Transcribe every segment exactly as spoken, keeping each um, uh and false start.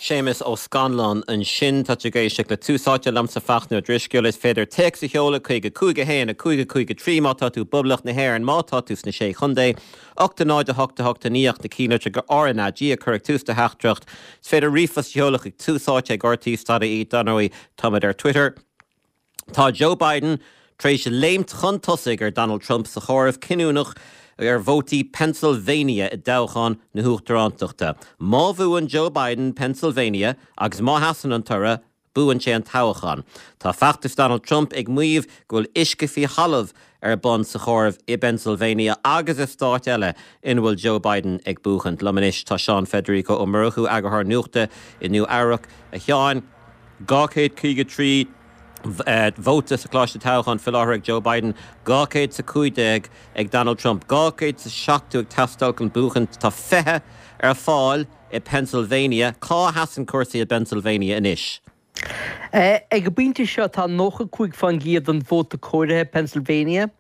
Séamus Ó Scanláin ansin. Tá tú ag éisteacht le Tús Áite liomsa Fachtna Ó Drisceoil. Is féidir téacs a sheoladh chuig a cúig a haon a cúig a cúig a trí má tá tú i bPoblacht na hÉireann, má tá tú sna Sé Chontae, ocht a náid a hocht a hocht a naoi ach na cinnlitreacha R N A G a chur ag tús do theachtaireacht. Is féidir ríomhphost a sheoladh chuig tús áite ag R T dot I E. Dar ndóigh, táimid ar Twitter. Tá Joe Biden tar éis léimt chun tosaigh ar Donald Trump sa chomhaireamh cinniúnach ar vótaí Pennsylvania i dtoghchán na huachtarántachta. Má bhuann Joe Biden Pennsylvania agus má sheasann an toradh, buann sé an toghchán. Tá feachtas Donald Trump ag maíomh go bhfuil uisce faoi thalamh ar bun sa chomhaireamh i bPennsylvania agus i stáit eile ina bhfuil Joe Biden ag buachan. Liom anois tá Seán Federico Ó Murchú, eagarthóir nuachta i Nua Eabhrac. A Sheáin, dhá chéad caoga trí vóta sa Choláiste Toghcháin faoi láthair ag Joe Biden, dhá chéad is a cúig déag ag Donald Trump, dhá chéad is a seachtó ag teastáil chun buachan. Tá fiche ar fáil i Pennsylvania. Cá sheasann cúrsaí i bPennsylvania anois? Ag an bpointe seo tá nócha cúig faoin gcéad den vóta comhairithe Pennsylvania.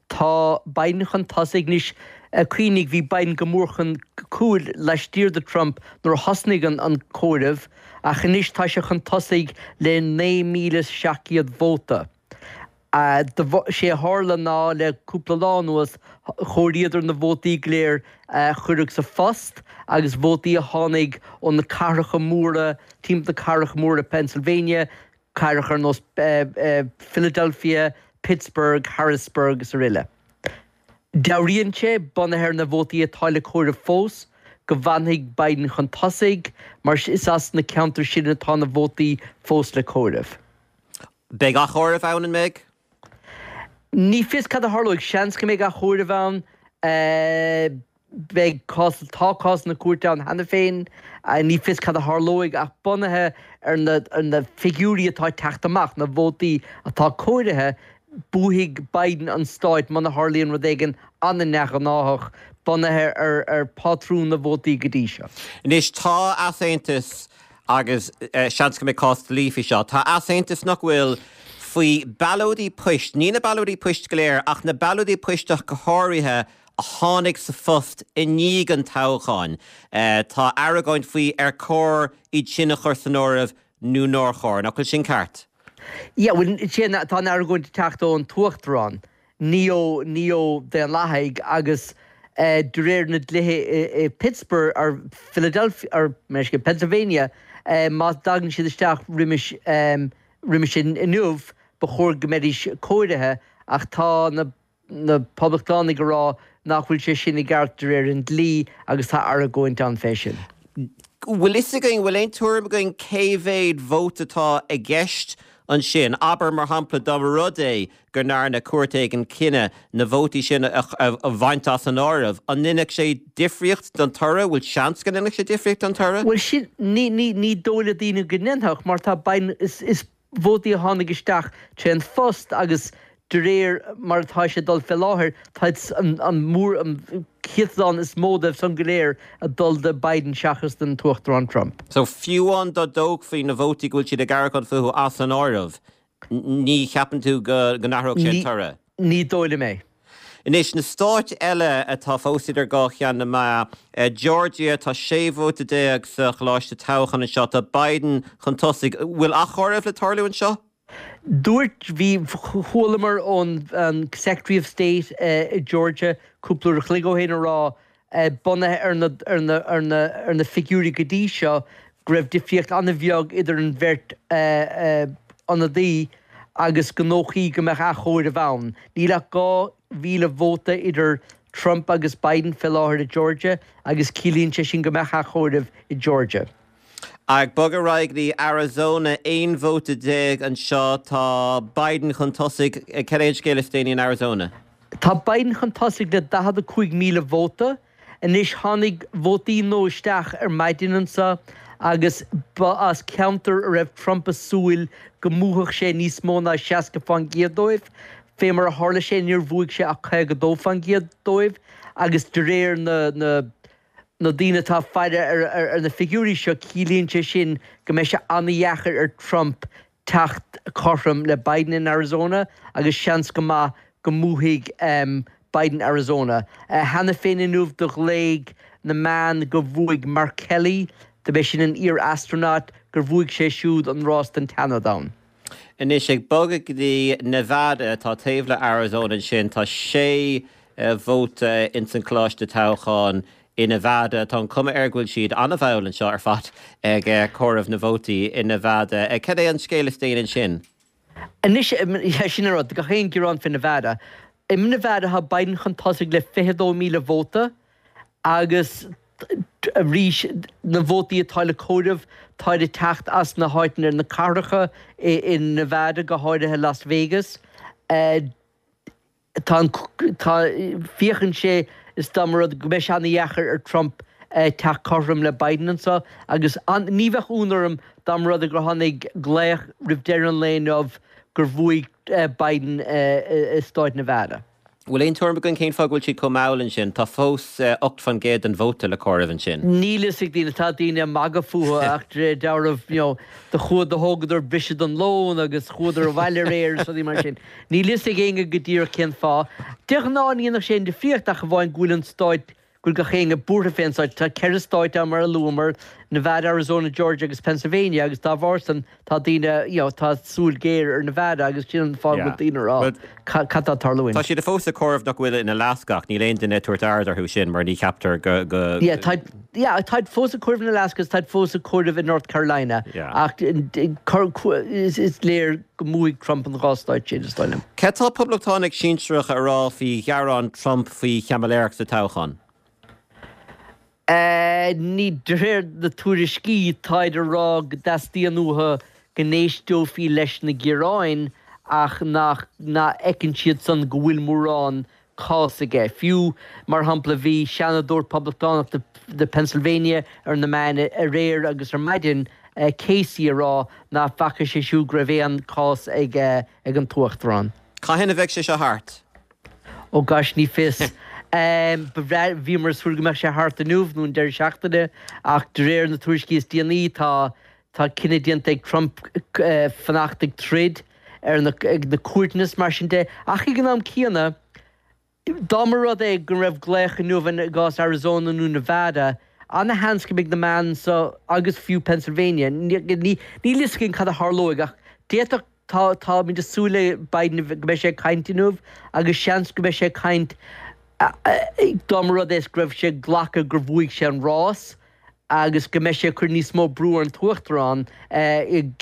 Tá Biden chun tosaigh anois. Cuimhnigh, bhí Biden go mór chun cúil laistiar de Trump nuair a thosnaigh an comhaireamh, ach anois tá sé chun tosaigh le naoi míle is seacht gcéad vóta. Sé a tharla ná le cúpla lá anuas chomhairíodar na vótaí go léir a cuireadh sa phost agus vótaí a tháinig ó na cathracha móra, timpeall na cathracha móra Pennsylvania, cathracha ar nós Philadelphia, Pittsburgh, Harrisburg is araile. Dealraíonn sé, bunaithe ar na vótaí atá le comhaireamh fós, go bhfanfaidh Biden chun tosaigh, mar is as na ceantair sin atá na vótaí fós le comhaireamh. Beidh athchomhaireamh ann, an mbeidh? Ní fios cad a tharlóidh. Seans go mbeidh athchomhaireamh ann. Beidh cás, tá cásanna cúirte ann cheana féin. Ní fios cad a tharlóidh ach bunaithe ar na, ar na figiúirí atá ag teacht amach, na vótaí atá comhairithe, buafaidh Biden an stáit muna tharlaíonn rud éigin an-neamhghnáthach, bunaithe ar ar phátrún na vótaí go dtí seo. Anois tá easaontas agus seans go mbeidh cás dlí faoi seo, tá easaontas nach bhfuil faoi ballóidí poist, ní na ballóidí poist go léir ach na ballóidí poist ach go háirithe a tháinig sa phost i ndiaidh an toghcháin. Tá argóint faoi ar chóir iad sin a chur san áireamh nó nár chóir. Nach bhfuil sin ceart? Yeah, bhuel, sin, tá an argóint ag teacht ón tUachtarán, ní ó, ní ó Daonlathaigh agus de réir na dlíthe i Pittsburgh or Philadelphia or Pennsylvania, má dtagann siad isteach roimis, roimis inniu, ba chóir go mbeidís comhairithe ach tá na na Poblachtánaigh ag rá nach bhfuil sé sin i gceart de réir an dlí agus tá argóint ann fé sin. Bhfuil fhios againn, bhfuil aon tuairim againn cé mhéad vóta atá i gceist ansin? Abair, mar shampla, dá mba rud é go ndearna cúirt éigin cinneadh na vótaí sin a bhaint as an áireamh, an ndéanfadh sé difríocht don toradh? Bhfuil seans go ndéanfadh sé difríocht don toradh? Bhuel, sin, ní, ní, ní dóigh le daoine go ndéanfadh mar tá Biden, is, is vótaí a tháinig isteach tré an phost agus de réir mar atá sé ag dul fé láthair, tá an, an mór, an céatadán is mó dóibh san go léir ag dul do Biden seachas don tUachtarán Trump. So fiú amháin dá dtógfaí na vótaí go bhfuil siad ag argóint fúthu as an áireamh, ní cheapann tú go n-athródh sé an toradh? Ní dóigh liom é. Anois, na stáit eile atá fós idir dhá cheann na meá, Georgia, tá sé vóta déag sa choláiste toghcháin anseo, tá Biden chun tosaigh. Bhfuil athchomhaireamh le tarlú anseo? Dúirt, bhí, chualamar ón Secretary of State i Georgia cúpla uair a chloig ó shin a rá, bunaithe ar na, ar na, ar na, ar na figiúirí go dtí seo, go raibh difríocht an-bheag idir an bheirt ionadaí agus gur dóichí go mbeadh athchomhaireamh ann. Níl ach dhá mhíle vóta idir Trump agus Biden fé láthair i Georgia agus ciallaíonn sé sin go mbeadh athchomhaireamh i Georgia. Ag bogadh ar aghaidh go dtí Arizona, aon vóta déag anseo, tá Biden chun tosaigh. Cad é an scéal is déanaí in Arizona? Tá Biden chun tosaigh le daichead a cúig míle vóta. Anois tháinig vótaí nua isteach ar maidin anseo agus ba as ceantar a raibh Trump ag súil go mbuafadh sé níos mó ná seasca fán gcéad dóibh. Fé mar a tharla sé níor bhuaigh sé ach caoga dó fán gcéad dóibh agus de réir na na na daoine atá ag faire ar na figiúirí seo, ciallaíonn sé sin go mbeidh sé an-dheacair ar Trump teacht cothrom le Biden in Arizona agus seans go maith go mbuafaidh Biden Arizona. Cheana féin inniu do ghlaoigh na meáin go bhuaigh Mark Kelly do b'é sin an iar-astronaut, gur bhuaigh sé siúd an rás don tSeanad ann. Anois ag bogadh go dtí Nevada, atá taobh le Arizona ansin, tá sé vóta ins an choláiste toghcháin i Nevada. Tá an cuma air go bhfuil siad an-mhall anseo ar fad ag comhaireamh na vótaí i Nevada. Cad é an scéal is déanaí ansin? Anois, sin an rud, gach aon ghearán fé Nevada. I Nevada tá Biden chun tosaigh le fiche dó míle vóta agus arís na vótaí atá le comhaireamh táid ag teacht as na háiteanna, na cathracha i Nevada, go háirithe Las Vegas. Tá an, tá, féachann sé is dá mba rud go mbeidh sé ana-dheacair ar Trump teacht cothrom le Biden anseo agus an, ní bheadh ionadh orm dá mba rud é gur tháinig glaoch roimh deireadh an lae inniu gur bhuaigh Biden i stát Nevada. Bhfuil aon tuairim againn cén fáth go bhfuil siad chomh mall ansin? Tá fós ocht faoin gcéad den vóta le comhaireamh ansin. Níl fhios ag daoine, tá daoine ag magadh fúthu ach de réir dealraimh, you know, do chuadar, do thógadar briseadh don lón agus chuadar abhaile aréir agus rudaí mar sin. Níl fhios ag éinne go díreach cén fáth. De ghnáth ní dhéanfadh sé aon difríocht ach amháin go bhfuil an stáit, go bhfuil gach éinne buartha fén stáit. Tá ceithre stáit ann mar a luamar, Nevada, Arizona, Georgia agus Pennsylvania agus dá bharr san tá daoine, you know, tá súil ghéar ar Nevada agus sin an fáth go bhfuil daoine ag rá cad tá ag tarlúint. Tá siad fós ag comhaireamh nach bhfuil in Alaska ach níl aon duine ag tabhairt aird orthu sin mar ní cheaptar go, go. Yeah, tá, yeah, táid fós ag comhaireamh in Alaska agus táid fós ag comhaireamh in North Carolina ach is, is léir go mbuafaidh Trump an dhá stáit sin, is dóigh liom. Cad tá poblachtánaigh sinsearacha a rá faoi ghearán Trump faoi chaimiléireacht sa toghchán? Ní, de réir na tuairiscí, táid a rá go dteastaíonn uathu go n-éisteofaí leis na gearáin ach nach bhfeiceann siadsan go bhfuil mórán cás aige. Fiú, mar shampla, bhí seanadóir poblachtánach de Pennsylvania ar na meáin aréir agus ar maidin, Casey, a rá nach bhfaca sé siúd go raibh aon chás ag an tUachtarán. Cathain a bheidh sé seo thart? Ó gosh, ní fios. Ba bhreá, bhíomar ag súil go mbeadh sé thart inniu nó an deireadh seachtaine ach de réir na tuairiscí is déanaí tá tá cinneadh déanta ag Trump fanacht ag troid ar na ag na cúirteanna is mar sin de. Ach ag an am céanna, dá mba rud é go raibh glaoch inniu i gcás Arizona nó Nevada, ana-sheans go mbeidh na meáin anseo agus fiú Pennsylvania, níl fhios againn cad a tharlóidh ach d'fhéadfadh Tá, táimid ag súil le Biden go mbeidh sé ag caint inniu agus seans go mbeidh sé ag caint dá mba rud é go raibh sé ag glacadh gur bhuaigh sé an rás agus go mbeidh sé ag cur níos mó brú ar an tUachtarán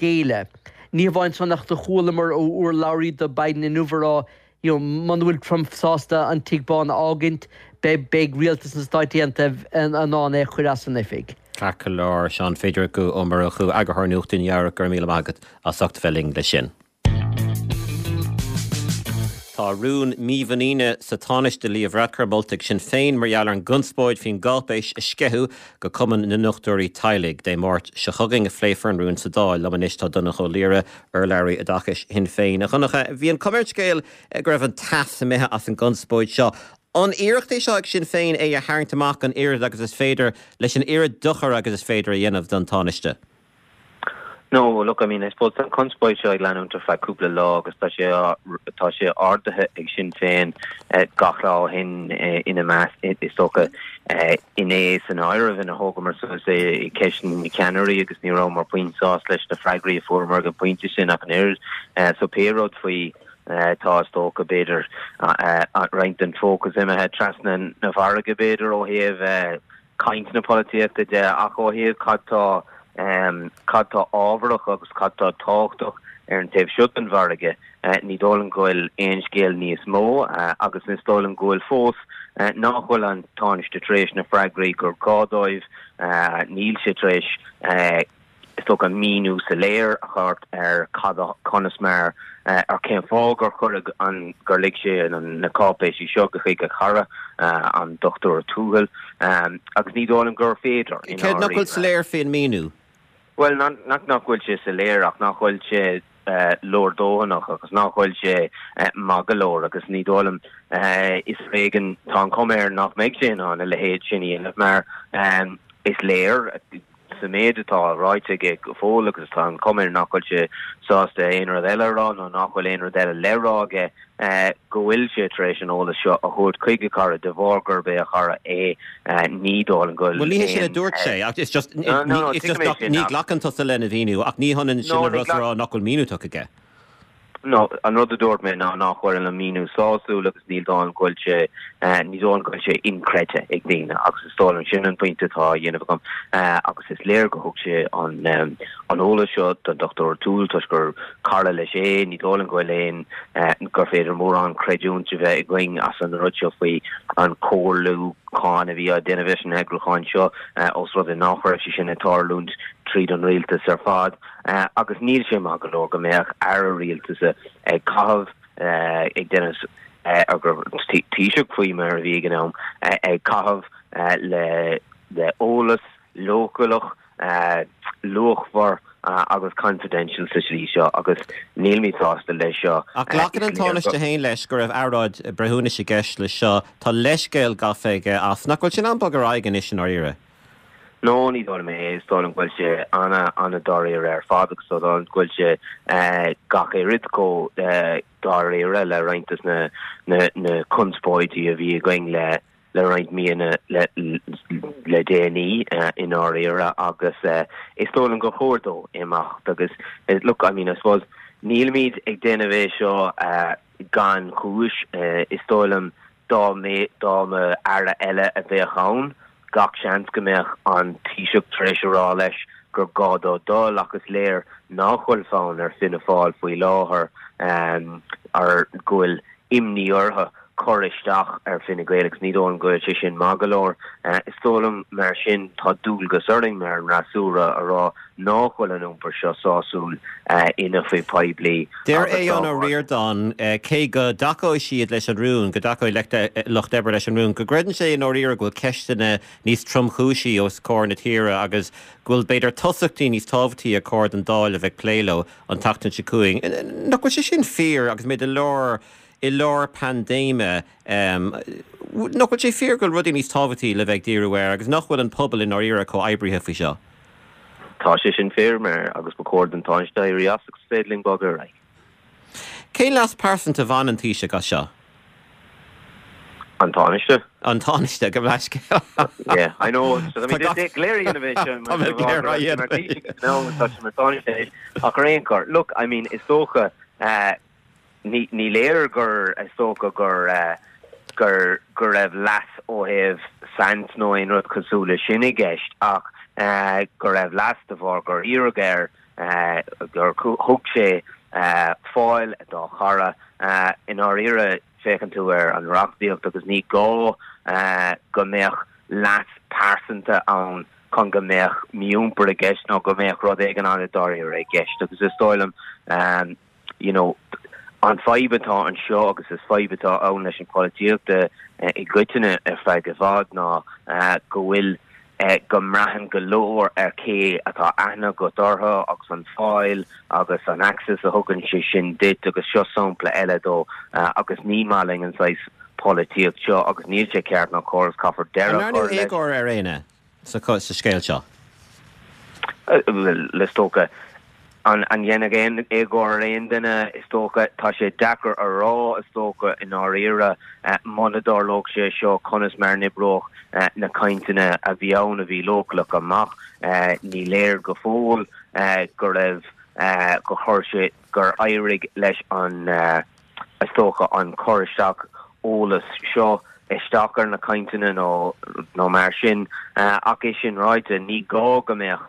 géilleadh. Ní hamháin san ach do chualamar ó urlabhraí do Biden inniu a rá you know, muna bhfuil Trump sásta an Tigh Bán a fhágaint, beidh, beidh rialtas na Stáit Aontaithe in ann é a chur as an oifig. Ceart go leor, Seán Phadraig Ó Murchú, Eagarthóir Nuachta Nua-Eabhrac, go raibh míle maith agat as ucht a bheith linn leis sin. Tá rún mímhuiníne sa Tánaiste Leo Varadkar molta ag Sinn Féin mar gheall ar an gconspóid faoin gcáipéis a sceitheadh go Cumann na nDochtúirí Teaghlaigh. Dé Máirt seo chugainn a phléifear an rún sa Dáil. Liom anois tá Donncha Ó Laoghaire, urlabhraí oideachais Shinn Féin. A Dhonncha, bhí an cuma ar an scéal go raibh an t-as imithe as an gconspóid seo. An iarracht é seo ag Sinn Féin é a tharraingt amach an oiread agus is féidir leis an oiread dochair agus is féidir a dhéanamh don Tánaiste? No, look, I mean, I suppose tá an conspóid seo ag leanúint ar feadh cúpla lá agus tá sé tá sé ardaithe ag Sinn Féin gach lá ó shin ina measc, is dócha, inné san áireamh ina thógamar suas é i gceisteanna na ceannairí agus ní rabhamar puinn sásta leis na freagraí a fuaireamar ag an bpointe sin ach an oiread. So pé rud faoi tá is dócha b'fhéidir roinnt den fócas imithe trasna na farraige b'fhéidir ó thaobh caint na polaitíochta de ach ó thaobh cad tá cad tá ábharach agus cad tá tábhachtach ar an taobh seo den bhfarraige, ní dóigh liom go bhfuil aon scéal níos mó agus is dóigh liom go bhfuil fós nach bhfuil an Tánaiste tar éis na freagraí gur gá dóibh, níl sé tar éis is dócha míniú soiléir a thabhairt ar cad a, conas mar, ar cén fáth gur cuireadh an, gur lig sé na cáipéisí seo go chuig a chara, an Dochtúir Tuathail, agus ní dóigh liom gur féidir, i Céard nach bhfuil soiléir faoin míniú? Bhuel, nach nach bhfuil sé soiléir ach nach bhfuil sé leordhóthanach agus nach bhfuil sé maith go leor agus ní dóigh liom, is ar éigean, tá an chuma air nach mbeidh sé in ann a leithéid sin a dhéanamh mar is léir, sa méid atá ráite aige go fóill agus tá an chuma air nach bhfuil sé sásta aon rud eile a rá nó nach bhfuil aon rud eile le rá aige go bhfuil sé tar éis an eolas seo a thabhairt chuig a chara de bharr gurb é a chara é ní dóigh liom go bhfuil Bhuel ní hé sin a dúirt sé ach it's just it's just ní ghlacann tusa lena mhíniú ach ní hionann sin a rá nach bhfuil míniú tugtha aige. No, an rud a dúirt mé ná nach bhfuil an míniú sásúil agus ní dóigh liom go bhfuil sé ní dóigh liom go bhfuil sé inchreidte ag daoine agus is dóigh liom sin an pointe atá á dhéanamh agam agus is léir go thug sé an an eolas seo don Dochtúir O'Toole toisc gur cara leis é, ní dóigh liom go bhfuil aon gur féidir mórán creidiúint a bheith againn as an rud seo faoi an comhairliúchán a bhí á déanamh leis an eagrúchán seo os rud é nach raibh sé sin ag tarlúint tríd an rialtas ar fad. Agus níl sé maith go leor go mbeadh aire rialtais ag caitheamh ag déanamh gur Taoiseach faoi mar a bhí ag an am, ag caitheamh le le eolas leochaileach, luachmhar agus confidential sa slí seo agus nílimid sásta leis seo. Ach glacann an Tánaiste féin leis go raibh earráid breithiúnais i gceist leis seo. Tá leithscéal gafa aige as. Nach bhfuil sin an-bog ar aghaidh anois i ndáiríre? No, ní dóigh liom é. Is dóigh liom go bhfuil sé ana, ana-dáiríre ar fad agus is dóigh liom go bhfuil sé gach oiread chomh dáiríre le roinnt de na, na, na conspóidí a bhí againn le, le roinnt míonna le, le déanaí i ndáiríre agus is dóigh liom gur chóir dó imeacht agus look, I mean, I suppose nílimid ag déanamh é seo gan chúis. Is dóigh liom dá mba, dá mba aire eile a bheadh ann, Gach seans go mbeadh an Taoiseach tar éis a rá leis gur gá dó dul ach is léir nach bhfuil fonn ar Fianna Fáil faoi láthair ar go bhfuil imní orthu cur isteach ar Fine Gael agus ní dóigh liom go bhfuil sé sin maith go leor. Is dóigh liom mar sin tá dualgas orainn mar an fhreasúra a rá nach bhfuil an iompar seo sásúil in oifig poiblí Deir Aodhán Ó Ríordáin, cé go dtacóidh siad leis an rún, go dtacóidh Lucht Oibre leis an rún, go gcreideann sé i ndáiríre go bhfuil ceisteanna níos tromchúisí os comhair na tíre agus go bhfuil b'fhéidir tosachtaí níos tábhachtaí ar chóir don Dáil a bheith ag plé leo an tseachtain seo chugainn. Nach bhfuil sé sin fíor agus muid i lár i lár paindéime? Nach bhfuil sé fíor go bhfuil rudaí níos tábhachtaí le bheith ag díriú air agus nach bhfuil an pobal i ndáiríre comhoibrithe faoi seo? Tá sé sin fíor mar agus ba chóir don Tánaiste éirí as agus is féidir linn bogadh ar aghaidh. Cén leas pearsanta a bhain an Taoiseach as seo? An Tánaiste? An Tánaiste, gabh mo leithscéal. Yeah, I know. So I mean, go léir a dhéanamh é sin. Tá mé go léir á dhéanamh. No, tá sé mar Tánaiste anois. Ach ar aon chor, look, I mean, is dócha, Ní léir gur, is dócha gur, gur, go raibh leas ó thaobh saint nó aon rud cosúil leis sin i gceist ach go raibh leas de bharr gur iarradh air, gur thug sé fáil dá chara. I ndáiríre, féachann tú ar an reachtaíocht agus ní gá go mbeadh leas pearsanta ann chun go mbeadh mí-iompar i gceist nó go mbeadh rud éigin an-dáiríre i gceist agus is dóigh liom you know, an fadhb atá anseo agus is fadhb atá ann leis an polaitíocht i gcoitinne ar feadh i bhfad ná go bhfuil go mbraitheann go leor ar cé atá aithne agat orthu agus an fáil agus an access a thugann sé sin duit agus seo sampla eile dó agus ní maith linn an saghas polaitíocht seo agus níl sé ceart ná cóir agus caithfear deireadh a chur leis. An ndearnadh éagóir ar éinne sa scéal seo? Bhuel, is dócha. An ndéanfadh aon éagóir ar aon duine? Is dócha. Tá sé deacair a rá, is dócha, i ndáiríre. Muna dtarlódh sé seo, conas mar a n-oibreodh na cainteanna a bhí ann a bhí leochaileach amach? Ní léir go fóill go raibh, gur chuir sé, gur éirigh leis an, is dócha, an cur isteach eolais seo isteach ar na cainteanna nó nó mar sin. Ach é sin ráite, ní gá go mbeadh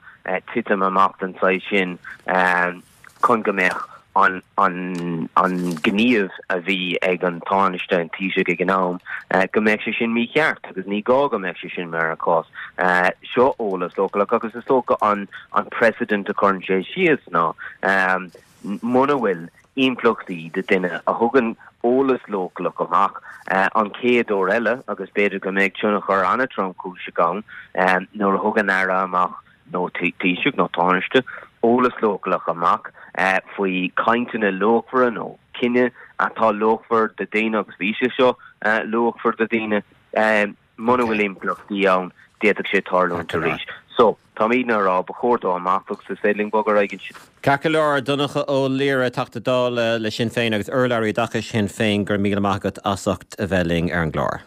titim amach den saghas sin chun go mbeadh an an an gníomh a bhí ag an Tánaiste, an Taoiseach ag an am, go mbeadh sé sin mícheart agus ní gá go mbeadh sé sin mar an cás. Seo eolas leochaileach agus is dócha an an precedent a chuireann sé síos ná muna bhfuil impleachtaí do duine a thugann eolas leochaileach amach an chéad uair eile agus b'fhéidir go mbeidh tionchar an-tromchúiseach ann nuair a thugann aire amach nó Taoiseach nó Tánaiste eolas leochaileach amach faoi chainteanna luachmhara nó cinneadh atá luachmhar do dhaoine agus bhí sé seo luachmhar do dhaoine. Muna bhfuil impleachtaí ann, d'fhéadfadh sé tarlúint arís. So, Táimidne ag rá, ba chóir dó imeacht agus is féidir linn bogadh ar aghaidh ansin. Ceart go leor, Donncha Ó Laoghaire, Teachta Dála le Sinn Féin agus urlabhraí oideachais Shinn Féin, go raibh míle maith agat as ucht a bheith linn ar an gclár.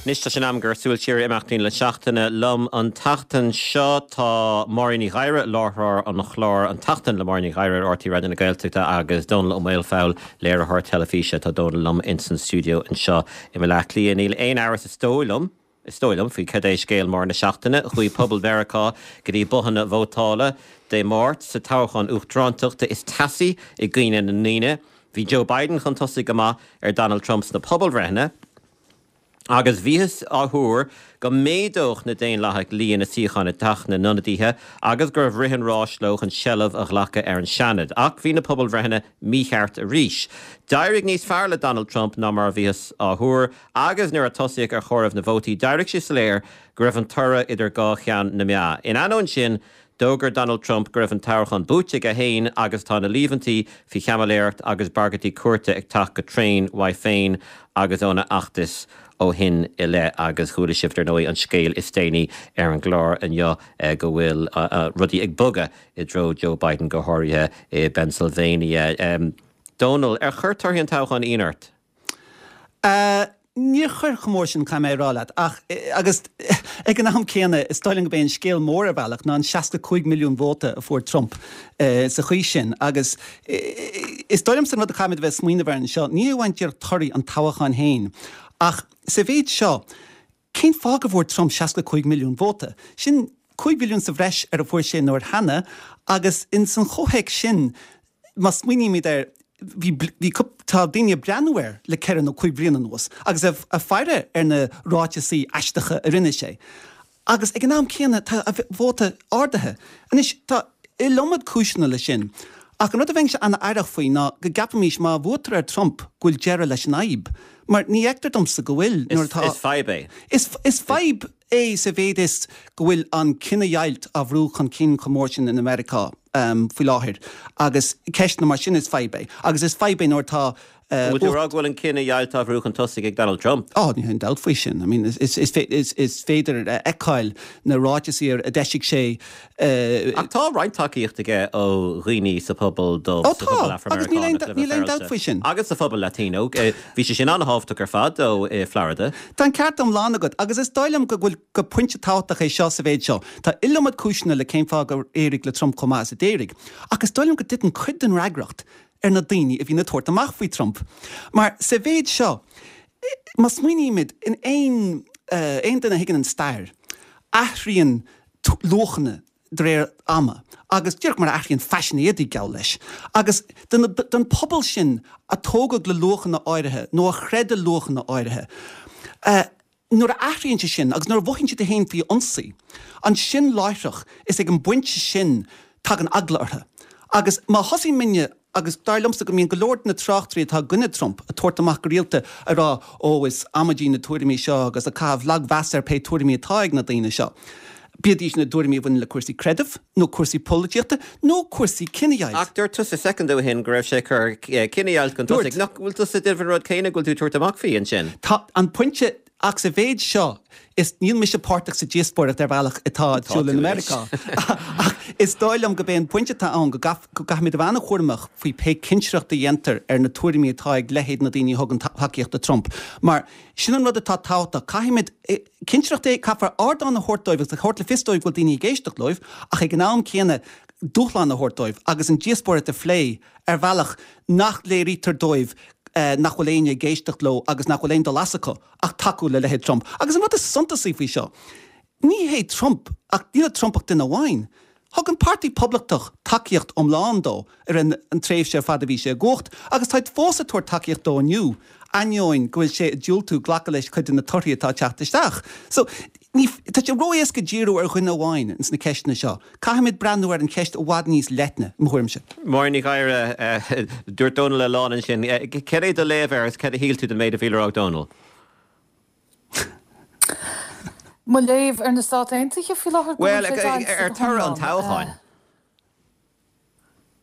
Anois tá sé in am gur súil siar ar imeachtaí na seachtaine liom an tseachtain seo. Tá Máirín Ní Ghadhra, láithreoir an chláir An tSeachtain le Máirín Ní Ghadhra ar RTÉ Raidió na Gaeltachta agus Dónal Ó Maolfabhail, léiritheoir teilifíse. Tá Dónal liom ins an stiúideo anseo i mBaile Átha Cliath. Níl aon amhras is dóigh liom, is dóigh liom, faoi cad é scéal mór na seachtaine. Chuaigh pobal Mheiriceá go dtí bothanna vótála Dé Máirt sa toghchán uachtarántachta is teasaí i gcuimhne na ndaoine. Bhí Joe Biden chun tosaigh go maith ar Donald Trump sna pobalbhreitheanna. Agus bhíothas á thuar go méadódh na Daonlathaigh líon na suíochán i dTeach na nIonadaithe agus go raibh rith an ráis leo chun seilbh a ghlacadh ar an Seanad. Ach bhí na pobalbhreitheanna mícheart arís. D'éirigh níos fearr le Donald Trump ná mar a bhíothas á thuar agus nuair a tosaíodh ar chomhaireamh na vótaí d'éirigh sé soiléir go raibh an toradh idir dhá cheann na meá. In ainneoin sin, D'fhógair Donald Trump go raibh an toghchán buaite aige féin agus tá na líomhaintí faoi chaimiléireacht agus bagairtí cúirte ag teacht go tréan uaidh féin agus óna fheachtas ó shin i leith. Agus chuala sibh, dar ndóigh, an scéal is déanaí ar an gclár inniu go bhfuil rudaí ag bogadh i dtreo Joe Biden, go háirithe i bPennsylvania. Dónal, ar chuir torthaí an toghcháin ionadh ort? Níor chuir chomh mór sin, caithfidh mé a rá leat, ach, agus ag an am céanna, is dóigh liom gurb é an scéal mór ar bhealach ná an seasca cúig milliún vóta a fuair Trump sa chaoi sin. Agus is dóigh liomsa an rud a chaithfimid a bheith ag smaoineamh air anseo, ní amháin díreach torthaí an toghcháin féin, ach sa mhéid seo, cén fáth go bhfuair Trump seasca cúig milliún vóta? Sin cúig mhilliún sa bhreis ar a fuair sé an uair cheana, agus ins an chomhthéacs sin, má smaoinímid air, bhí, bhí, tá daoine ag breathnú air le ceithre nó cúig bliana anuas agus ag faire ar na ráiteasaí aisteacha a rinne sé. Agus ag an am céanna tá a vóta ardaithe. Anois, tá iliomad cúiseanna leis sin. Ach an rud a bheinnse an-aireach faoi ná go gceapfaimis má bhuaitear ar Trump go bhfuil deireadh leis an fhadhb. Mar ní fheictear domsa go bhfuil nuair atá. Is fadhb é. Is, is fadhb é sa mhéid is go bhfuil an cinedheighilt á bhrú chun cinn chomh mór sin in Meiriceá faoi láthair agus ceisteanna mar sin, is fadhb é. Agus is fadhb é nuair atá. Bhfuil tú ag rá go bhfuil an cinedheighilt á bhrú chun tosaigh ag Donald Trump? Ó, níl aon dabht faoi sin. I mean, is, is, is, is féidir a fheiceáil na ráiteasaí a d'eisigh sé. Ach tá roinnt tacaíocht aige ó dhaoine sa phobal dubh, sa phobal Afra-Meiriceánach, le bheith féaráilte, agus sa phobal Latino. Bhí sé sin an-thábhachtach ar fad dó i Florida. Tá an ceart iomlán agat, agus is dóigh liom go bhfuil gur pointe tábhachtach é seo sa mhéid seo. Tá iliomad cúiseanna le cén fáth gur éirigh le Trump chomh maith is a d'éirigh, ach is dóigh liom go dtiteann cuid den fhreagracht ar na daoine a bhíonn ag tabhairt amach faoi Trump. Mar sa mhéid seo, má smaoinímid, in aon aon duine a thuigeann an stair, athraíonn luachanna de réir ama, agus díreach mar a athraíonn faisean éadaí, geall leis. Agus don pobal sin a tógadh le luachanna áirithe, nó a chreid i luachanna áirithe, nuair a athraíonn sé sin, agus nuair a mhothaíonn siad féin faoi ionsaí, ansin láithreach, is ag an bpointe sin tagann eagla orthu. Agus má thosaímidne, agus dar liomsa go mbíonn go leor de na tráchtairí atá i gcoinne Trump ag tabhairt amach go rialta ag rá ó is amaidí na tuairimí seo agus ag caitheamh lagmheas ar pé tuairimí atá ag na daoine seo, bíodís na tuairimí a bhaineann le cúrsaí creidimh nó cúrsaí polaitíochta nó cúrsaí cinedheighilt. Ach dúirt tusa soicind ó shin go raibh sé ag cur cinedheighilt chun tosaigh. Nach bhfuil tusa ag déanamh an rud céanna go bhfuil tú ag tabhairt amach faoi ansin? Tá an pointe, ach sa mhéid seo, is níl mise páirteach sa díospóireacht ar bhealach atá ar siúl in Meiriceá, ach is dóigh liom gurb é an pointe atá ann go gcaithfimid a bheith an-chúramach faoi pé cinsireacht a dhéantar ar na tuairimí atá ag leithéid na daoine a thugann tacaíocht do Trump. Mar sin an rud atá tábhachtach, caithfimid cinsireacht a, caithfear ardán a thabhairt dóibh agus a thabhairt le fios dóibh go bhfuil daoine ag éisteacht leo, ach ag an am céanna dúshlán a thabhairt dóibh agus an díospóireacht a phlé ar bhealach nach léirítear dóibh nach bhfuil éinne ag éisteacht leo agus nach bhfuil aon dul as acu ach tacú le leithéid Trump. Agus an rud is suntasaí faoi seo, ní hé Trump, ach níl i Trump ach duine amháin. Thug an Páirtí Poblachtach tacaíocht iomlán dó i rith an tréimhse ar fad a bhí sé i gcumhacht agus táid fós ag tabhairt tacaíocht dó inniu, ainneoin go bhfuil sé ag diúltú glacadh leis cuid de na torthaí atá ag teacht isteach. So, ní, tá sé ró-éasca díriú ar dhuine amháin ins na ceisteanna seo. Caithfimid breathnú ar an cheist i bhfad níos leithne, i mo thuairimse. Máirín Ní Ghadhra, dúirt Dónal a lán ansin. Cad é do léamh air agus cad a shíl tú den méid a bhí le rá ag Dónal? Mo léamh ar na Stáit Aontaithe faoi láthair go bhfuil sé deighilte ar toradh an toghcháin.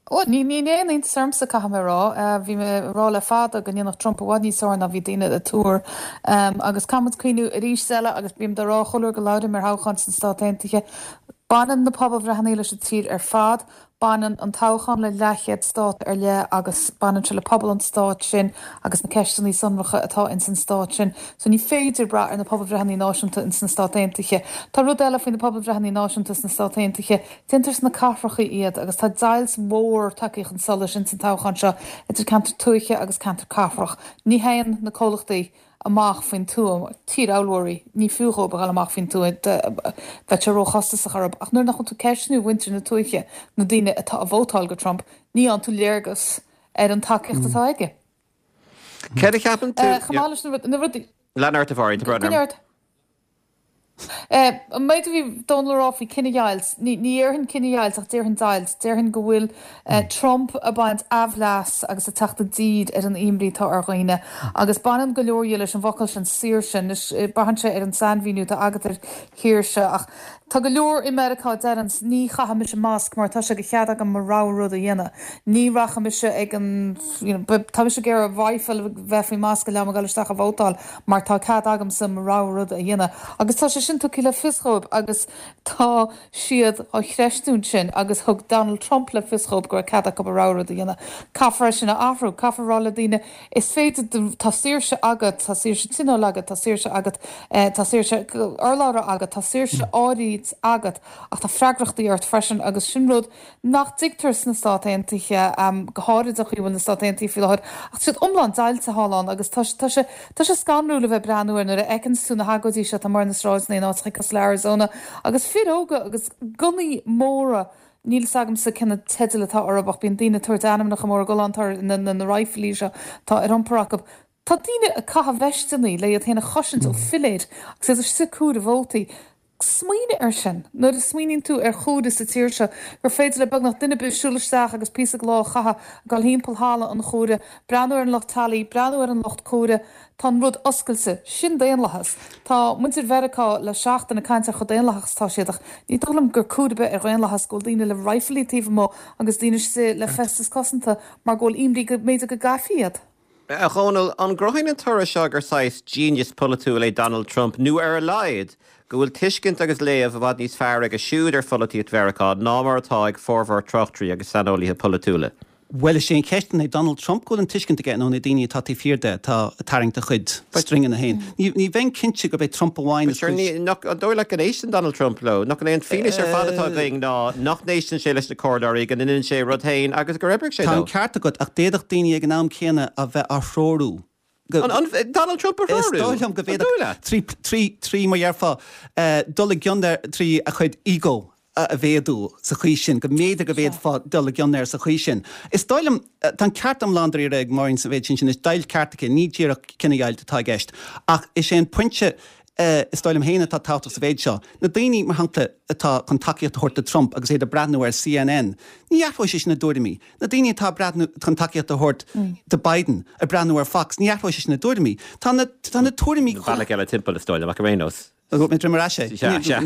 Ó, ní ní aon iontas ormsa, caithfidh mé a rá. Bhí mé ag rá le fada go ndéanfadh Trump i bhfad níos fearr ná bhí daoine ag tuar. Agus caithfidh muid cuimhniú arís eile, agus bím dá rá chuile uair go labhraím ar thoghchán sna Stáit Aontaithe, baineann na pobalbhreitheanna leis an tír ar fad, baineann an toghchán le leathchéad stát ar leith agus baineann sé le pobal an stáit sin agus na ceisteanna sonracha atá ins an stát sin. So ní féidir brath ar na pobalbhreitheanna náisiúnta ins na Stáit Aontaithe. Tá rud eile faoi na pobalbhreitheanna náisiúnta sna Stáit Aontaithe, déantar sna cathracha iad agus tá deighilt mhór tagtha chun solais ins an toghchán seo idir ceantar tuaithe agus ceantar cathrach. Ní théann na comhlachtaí amach faoin tuath, tír allmhairí, ní fiú dhóibh a dhul amach faoin tuath, bheadh sé róchostasach orthu. Ach nuair nach bhfuil tú ag ceistniú mhuintir na tuaithe, na daoine atá ag vótáil do Trump, ní fhaigheann tú léargas ar an tacaíocht atá aige. Céard a cheapann tú? Chomh maith leis na rudaí. Lean ort, a Mháirín, tá brón orm. An méid a bhí Dónal a rá faoi cinedheighilt, ní déarfainn cinedheighilt ach déarfainn deighilt. Déarfainn go bhfuil Trump ag baint aimhleas agus ag teacht i dtír ar an imní atá ar dhaoine. Agus baineann go leor dhe leis an bhfocal sin, saoirse. Anois, braitheann sé ar an sainmhíniú atá agat ar shaoirse ach tá go leor i Meiriceá a deireanns ní chaithfidh mise masc mar tá sé de chead agam mo rogha rud a dhéanamh. Ní rachaidh mise ag an, you know, tá mise ag iarraidh rifle a bheith faoi masc le am a dhul isteach a vótáil mar tá cead agamsa mo rogha rud a dhéanamh. Agus tá sé sin tugtha le fios dhóibh agus tá siad á chreistiúint sin agus thug Donald Trump le fios dhóibh go raibh cead acu a rogha rud a dhéanamh. Caithfear é sin a athrú. Caithfear a rá le daoine, is féidir, tá saoirse agat, tá saoirse tionóil agat, tá saoirse agat, tá saoirse urlabhra agat, tá saoirse áirid agat ach tá freagrachtaí ort freisin agus sin rud nach dtuigtear sna Stáit Aontaithe, go háirid an chaoi a bhfuil na Stáit Aontaithe faoi láthair. Ach tá siad iomlán deighilte thall ann agus tá sé tá sé scanrúil a bheith ag breathnú air nuair a fheiceanns tú na hagóidí seo atá amuigh ar na sráideanna in áiteacha cosúil le Arizona agus fir óga agus gunnaí móra, níl fhios agamsa cén teideal atá orthu ach bíonn daoine ag tabhairt ainmneacha móra galánta ar na na raidhfilí seo atá ar iompar acu. Tá daoine ag caitheamh veisteanna le iad féin a chosaint ó philéir agus iad istigh ag comhaireamh vótaí. Smaoinigh air sin nuair a smaoiníonn tú ar chomhaireamh sa tír seo, gur féidir le beagnach duine ar bith siúl isteach agus píosa de lá a chaitheamh ag dul thimpeall halla an chomhairimh, breathnú ar an lucht tally, breathnú ar an lucht comhairimh. Tá an rud oscailte. Sin daonlathas. Tá muintir Mheiriceá le seachtain ag caint ar chomh daonlathach is atá siad ach ní dóigh liom gur cúis ar bith ar dhaonlathas go bhfuil daoine le raidhfilí taobh amuigh agus daoine istigh le feisteas cosanta mar go bhfuil imní go mb'fhéidir go gcaithfí iad. A Dhónaill, an gcruthaíonn an toradh seo gur saghas genius polaitiúil é Donald Trump, nó ar a laghad, go bhfuil tuiscint agus léamh i bhfad níos fearr aige siúd ar pholaitíocht Mheiriceá ná mar atá ag formhór tráchtairí agus saineolaithe polaitiúla? Bhuel, is é an cheist, an é Donald Trump go bhfuil an tuiscint aige nó na daoine atá taobh thiar de atá ag tarraingt a chuid stringeanna féin? Ní bheinn cinnte gurb é Trump amháin is cúis. An dóigh leat go n-éisteann Donald Trump leo? Nach é an fianaise ar fad atá againn ná nach n-éisteann sé leis na comhairleoirí, go ndeineann sé a rud féin agus gur oibrigh sé Tá dó? an ceart agat, ach d'fhéadfadh daoine ag an am céanna a bheith á threorú. Go. An Donald Trump a Is threorú? dóigh liom go An dóigh bhféadfadh, leat? trí, trí, trí, mar dhéarfá, dul i gcion air trí a chuid ego a mhéadú sa chaoi sin, go mb'fhéidir go bhféadfá dul i gcion air sa chaoi sin. Is dóigh liom, tá an ceart iomlán dáiríre ag Máirín sa mhéid sin, sin is deighilt ceart aici, ní díreach cinedheighilt atá i gceist. Ach is é an pointe, is dóigh liom féin atá tábhachtach sa mhéid seo, na daoine, mar shampla, atá chun tacaíocht a thabhairt do Trump agus iad ag breathnú ar C N N, ní athróidh sé sin a dtuairimí. Na daoine atá ag breathnú chun tacaíocht a thabhairt do Biden, ag breathnú ar Fox, ní athróidh sé sin a dtuairimí. Tá na, tá na tuairimí An bealach eile timpeall, is dóigh liom, ach ar aon nós. Thug mé droim ar ais é. Sea, sea.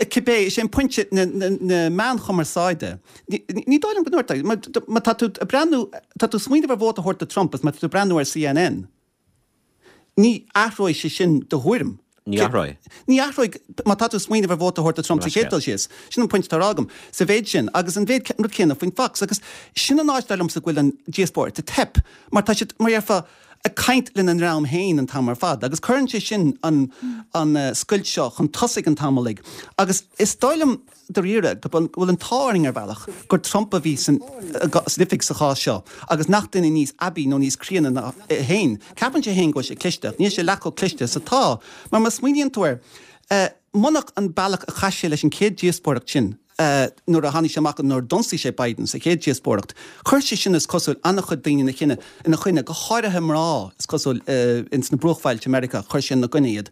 Cibé, is é an pointe, na, na, na meáin chumarsáide, ní, ní dóigh liom go ndúirt, má, má tá tú ag breathnú, tá tú ag smaoineamh ar vóta a thabhairt do Trump agus má tá tú ag breathnú ar C N N, ní athróidh sé sin do thuairim. Ní athróidh. Ní athróidh, má tá tú ag smaoineamh ar vóta a thabhairt do Trump sa chéad dul síos. Sin an pointe atá á rá agam sa mhéid sin agus an mhéid, an rud céanna faoin Fox agus sin an áit dar liomsa go bhfuil an díospóireacht ag teip mar tá siad, mar dhéarfá, ag caint lena ndream féin an t-am ar fad agus cuireann sé sin an an scoilt seo chun tosaigh an t-am uilig agus is dóigh liom dáiríre go bhfuil an t-ádh orainn ar bhealach gur Trump a bhí san san oifig sa chás seo agus nach duine níos aibí nó níos críonna ná é féin. Ceapann sé féin go bhfuil sé cliste ach níl sé leath chomh cliste is atá mar má smaoiníonn tú air munach an bealach a chaith sé leis an chéad díospóireacht sin nuair a tháinig sé amach nuair a d'ionsaigh sé Biden sa chéad díospóireacht, chuir sé sin is cosúil an-chuid daoine ina chinne ina choinne, go háirithe mná is cosúil ins na bruachbhailte Meiriceá, chuir sé ina gcoinne iad.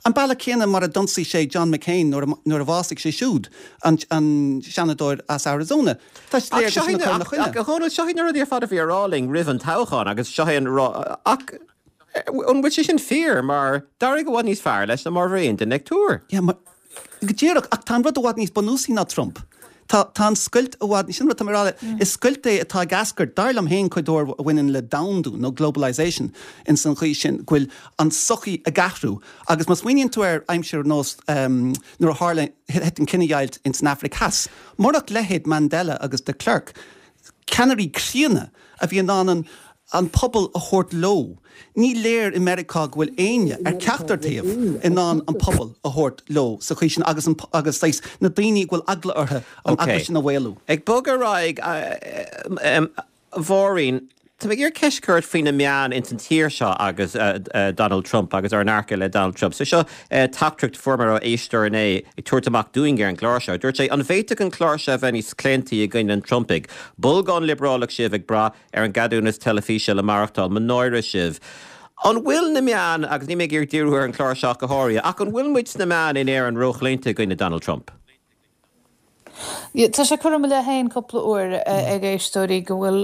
An bealach céanna mar a d'ionsaigh sé John McCain nuair a nuair a bhásaigh sé siúd, an an seanadóir as Arizona. Tá sé Ach léir seo go sin a chur ina ach choinne. ach a Dhónaill, seo iad na rudaí ar fad a bhí á rá linn roimh an toghchán agus seo é an rá ach an bhfuil sé sin fíor mar d'éirigh i bhfad níos fearr leis ná mar a bhí aon duine ag tuar. Yeah, mar, go díreach, ach tá an rud i bhfad níos bunúsaí ná Trump. Tá tá an scoilt i bhfad, sin rud atá mé a rá, is scoilt é atá ag eascairt, dar liom féin, cuid mhór a bhaineann le domhandú nó globalisation ins an chaoi sin go bhfuil an tsochaí ag athrú agus má smaoiníonn tú ar aimsir ar nós nuair a tharla thit an chinedheighilt ins an Afraic Theas, murach leithéid Mandela agus de Klerk, ceannairí críonna a bhí in ann an an pobal a thabhairt leo. Ní léir i Meiriceá go bhfuil éinne, ar ceachtar taobh, in ann an pobal a thabhairt leo sa chaoi sin agus an agus saghas na daoine go bhfuil eagla orthu an eagla sin a mhaolú. Ag bogadh ar aghaidh, a Mháirín, tá mé ag iarraidh ceist a chur ort faoi na meáin ins an tír seo agus Donald Trump agus ár ndearcadh le Donald Trump. So seo teachtaireacht a fuair mé ó éisteoir inné ag tabhairt amach dúinn ar an gclár seo. Dúirt sé, an bhféadfadh an clár seo a bheith níos claontaí i gcoinne an Trumpaigh? Bolgán liobrálach sibh ag brath ar an gceadúnas teilifíse le maireachtáil. Mo náire sibh. An bhfuil na meáin, agus níl mé ag iarraidh díriú ar an chlár seo ach go háirithe, ach an bhfuil muid sna meáin in Éirinn róchlaonta i gcoinne Donald Trump? Tá sé curtha i mo leith féin cúpla uair ag éisteoirí go bhfuil,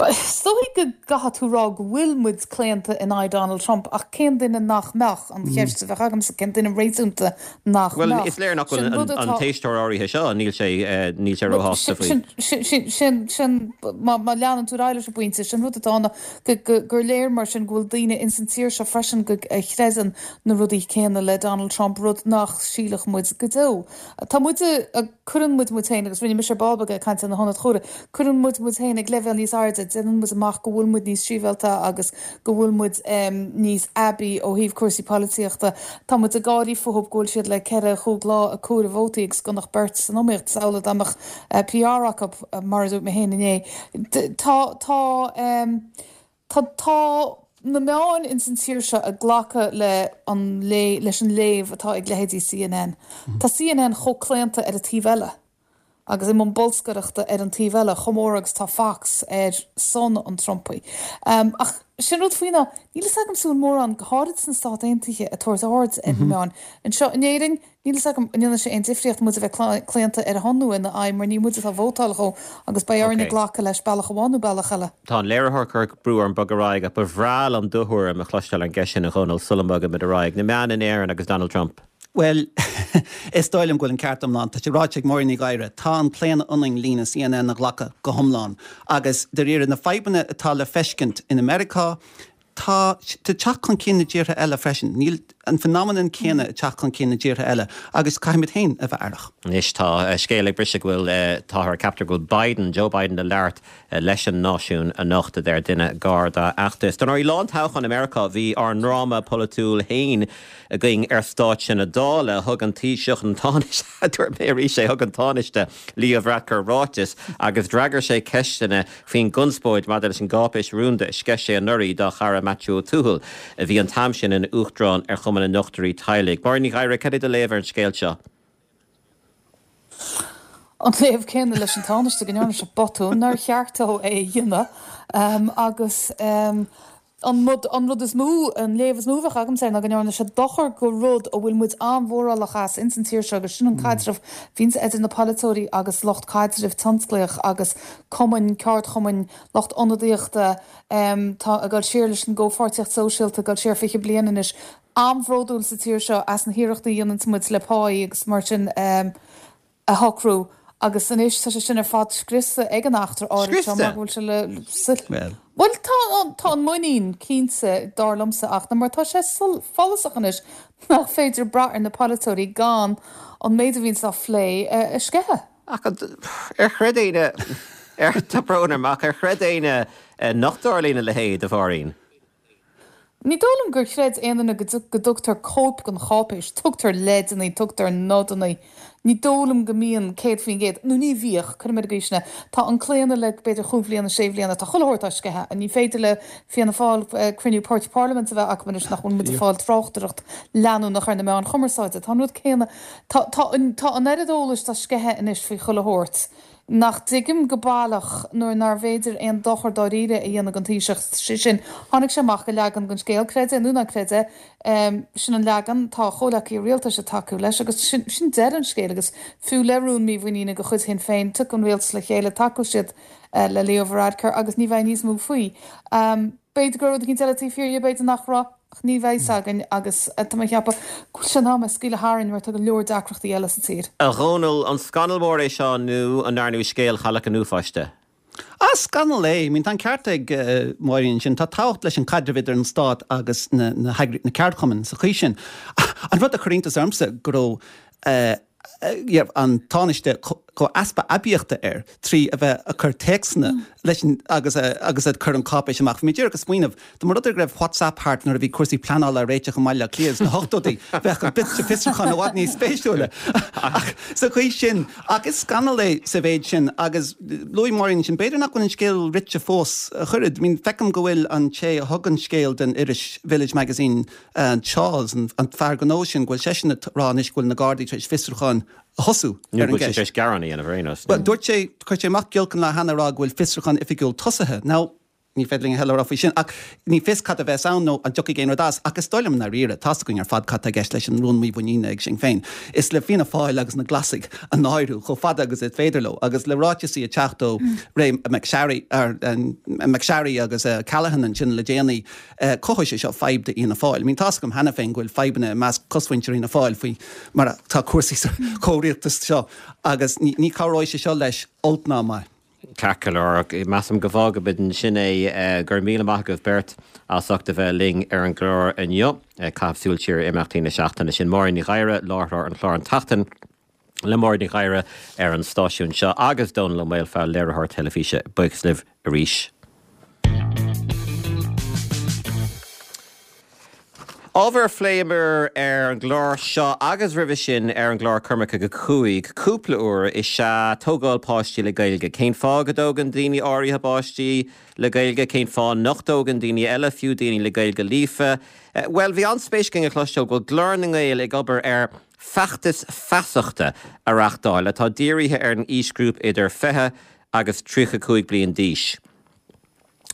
is dóigh go gcaithfidh tú rá go bhfuil muid claonta in aghaidh Donald Trump ach cén duine nach mbeadh, an cheist a bheadh agamsa, cén duine réasúnta nach Bhuel, mbeadh? is léir nach Sin bhfuil rud an atá. t-éisteoir áirithe seo, níl sé, níl sé róshásta faoi. Sin, sin, sin, sin, sin, má, má leanann tú ar aghaidh leis an bpointe, sin rud atá ann go, go, gur léir mar sin go bhfuil daoine ins an tír seo freisin go, a chreideann na rudaí céanna le Donald Trump, rud nach sílfeadh muid go deo. Tá muid a, cuireann muid muid féin, agus rinne mise ar ball beag ag caint ar na hionaid chomhrá, cuireann muid muid féin ag leibhéal níos airde, déanann muid amach go bhfuil muid níos sibhialta agus go bhfuil muid níos aibí ó thaobh cúrsaí polaitíochta. Tá muid ag gáirí fúthu go bhfuil siad le ceithre chúig lá ag comhaireamh vótaí agus gan ach beirt san iomaíocht, is amhlaidh dá mbeadh PR acu, mar a dúirt mé féin inné. Tá, tá, tá, tá na meáin ins an tír seo ag glacadh le an leis an léamh atá ag leithéidí CNN. Tá CNN chomh claonta ar an taobh eile agus i mbun bolscaireachta ar an taobh eile chomh mór agus tá Fox ar son an Trumpaigh. Ach sin rud faoi ná níl fhios agam an bhfuil mórán, go háirid sna Stáit Aontaithe, ag tabhairt aird ar na meáin. Anseo in Éirinn, Níl fhios agam an ndéanann sé aon difríocht muid a bheith claonta ar a shon nó ina aghaidh mar ní muid atá ag vótáil dhó agus beidh orainne glacadh leis bealach amháin nó bealach eile. Tá an léiritheoir ag cur brú orm bogadh ar aghaidh ach ba bhreá liom do thuairim a chloisteáil ar an gceist sin a Dhónaill sula mbogaimid ar aghaidh. Na meáin in Éirinn agus Donald Trump. Bhuel, is dóigh liom go bhfuil an ceart iomlán, tá sé ráite ag Máirín Ní Ghadhra, tá an claonadh ionainn líne CNN a ghlacadh go hiomlán agus dáiríre na fadhbanna atá le feiscint in Americá, Tá ag teacht chun cinn i dtíortha eile freisin. Níl an phenomenon céanna ag teacht chun cinn i dtíortha eile agus caithfimid féin a bheith aireach. Anois tá scéal ag briseadh go bhfuil, táthar ag ceapadh go bhfuil Biden, Joe Biden le labhairt leis an náisiún anocht, a deir duine gar dá fheachtas. Dar ndóigh, lá an toghcháin i Meiriceá bhí ár ndráma polaitiúil féin againn ar stáitse na Dála. Thug an Taoiseach, an Tánaiste, dúirt mé arís é, thug an Tánaiste Leo Varadkar ráiteas agus d'fhreagair sé ceisteanna faoin gconspóid maidir leis an gcáipéis rúnda a sceith sé anuraidh dá chara Maitiú Ó Tuathail, a bhí an t-am sin ina Uachtarán ar Chumann na nDochtúirí Teaghlaigh. Máirín Ní Ghadhra, cad é do léamh ar an scéal seo? An léamh céanna leis an Tánaiste, go ndearna sé botún nár cheart dó é a dhéanamh agus an rud, an rud is mó, an léamh is mó a bheadh agamsa air ná go ndearna sé dochar go rud a bhfuil muid an-mhórálach as ins an tír seo agus sin an caidreamh a bhíonns idir na polaiteoirí agus lucht caidrimh tionsclaíoch agus cumainn, ceardchumainn, lucht ionadaíochta, tá ag dul siar leis an gcomhpháirtíocht sóisialta, ag dul siar fiche bliain anois, an-bhródúil sa tír seo as na hiarrachtaí a dhéananns muid le páí agus mar sin. a shocrú agus anois tá sé sin ar fad scriosta ag an eachtra áirid seo mar go bhfuil sé le Bhuel tá tá an muinín cinnte dar liomsa ach mar tá sé follasach anois nach féidir brath ar na polaiteoirí gan an méid a bhíonns á phlé a sceitheadh. Ach ar chreid éinne ar tá brón orm ach ar chreid éinne nach dtarlaíonn a leithéid, a Mháirín? Ní dóigh liom gur chreid aon duine go dtugtar cóip den cháipéis. Tugtar leideanna, tugtar nodanna. Ní dóigh liom go mbíonn céad faoin gcéad, nó ní bhíodh, cuirfidh mé ar an gcaoi sin é. Tá an claonadh le b'fhéidir chúig bhliana, sé bhliana, tá chuile shórt á sceitheadh. Ní féidir le Fianna Fáil cruinniú páirtí parlaiminte a bheith acu anois nach bhfuil muid ag fáil tráchtaireacht leanúnach ar na meáin chumarsáide. Tá an rud céanna, tá, tá, tá an oiread eolais á sceitheadh anois faoi chuile shórt. nach dtuigim go baileach nuair nárbh fhéidir aon dochar dáiríre a dhéanamh don Taoiseach, sé sin, tháinig sé amach le leagan den scéal, creid é nó ná creid é, sin an leagan, tá a chomhleacaithe rialtais ag tacú leis agus sin, sin deireadh an scéil agus fiú le rún mímhuiníne de chuid Shinn Féin, tiocfaidh an rialtas le chéile, tacóidh siad le Leo Varadkar agus ní bheidh níos mó faoi. B'fhéidir go raibh rud eicínt eile taobh thiar dhe, b'fhéidir nach raibh. Ach ní bheidh fhios againn agus tá mé ag ceapadh go bhfuil sé in am é a scaoileadh tharainn mar tá go leor deacrachtaí eile sa tír. A Dhónaill, an scannal mór é seo nó an ndearnadh scéal Chailleach an Uafáis de? Ah, scannal é. I mean, tá an ceart ag Máirín ansin. Tá tábhacht leis an caidreamh idir an stát agus na, na, na ceardchumainn sa chaoi sin. An rud a chuir iontas ormsa go raibh an Tánaiste chomh easpa aibíochta air trí a bheith ag cur téacsanna leis an agus agus ag cur an cáipéis amach. Bhí mé díreach ag smaoineamh, dá mba rud é go raibh WhatsApp thart nuair a bhí cúrsaí pleanála á réiteach i mBaile Átha Cliath sna hochtóidí, bheadh an fiosrúchán i bhfad níos spéisiúla. Ach sa chaoi sin, ach is scannal é sa mhéid sin agus luaigh Máirín ansin, b'fhéidir nach bhfuil an scéal rite fós ach oiread. I mean, feicim go bhfuil an té a thug an scéal don iris Village Magazine, Charles, an fear gnó sin, go bhfuil seisean ag rá anois go bhfuil na Gardaí tar éis fiosrúchán a thosú ar an gceist. Nó go bhfuil sé tar éis gearán a dhéanamh ar aon nós. Bhuel, dúirt sé, chuir sé amach giolc an lá cheana ag rá go bhfuil fiosrúchán oifigiúil tosaithe. Now, ní féidir linn a thuilleadh a rá faoi sin, ach ní fios cad a bheas ann nó an dtiocfaidh aon rud as, ach is dóigh liom i ndáiríre, tá's againn ar fad cad tá i gceist leis an rún mímhuiníne ag Sinn Féin. Is le Fianna Fáil agus na Glasaigh a náiriú chomh fada agus is féidir leo, agus le ráiteasaí ag teacht ó Ray McSharry, McSharry agus Callaghan ansin le déanaí, Cothóidh sé seo fadhb do Fhianna Fáil. I mean, tá's agam cheana féin go bhfuil fadhbanna i measc cosmhuintir Fhianna Fáil faoi mar atá cúrsaí sa chomhrialtas seo agus ní chabhróidh sé seo leis, olc ná maith. Ceart go leor, measaim go bhfágfaimid ansin é. Go raibh míle maith agaibh beirt as ucht a bheith linn ar an gclár inniu. Ag caitheamh súil siar ar imeachtaí na seachtaine. Sin Máirín Ní Ghadhra, láithreoir an chláir An tSeachtain le Máirín Ní Ghadhra ar an stáisiún seo agus Dónal Ó Maolfabhail, léiritheoir teilifíse. Buíochas libh arís. Ábhar a phléamar ar an gclár seo agus roimhe sin ar an gclár Coimirce go Cúig cúpla uair is ea tógáil páistí le Gaeilge. Cén fáth go dtógann daoine áirithe a bpáistí le Gaeilge? Cén fáth nach dtógann daoine eile, fiú daoine le Gaeilge líofa? Bhuel, bhí an-spéis againn a chloisteáil go bhfuil Glór na nGael ag obair ar feachtas feasachta a reachtáil atá dírithe ar an aoisghrúpa idir fiche agus tríocha cúig bliain d'aois.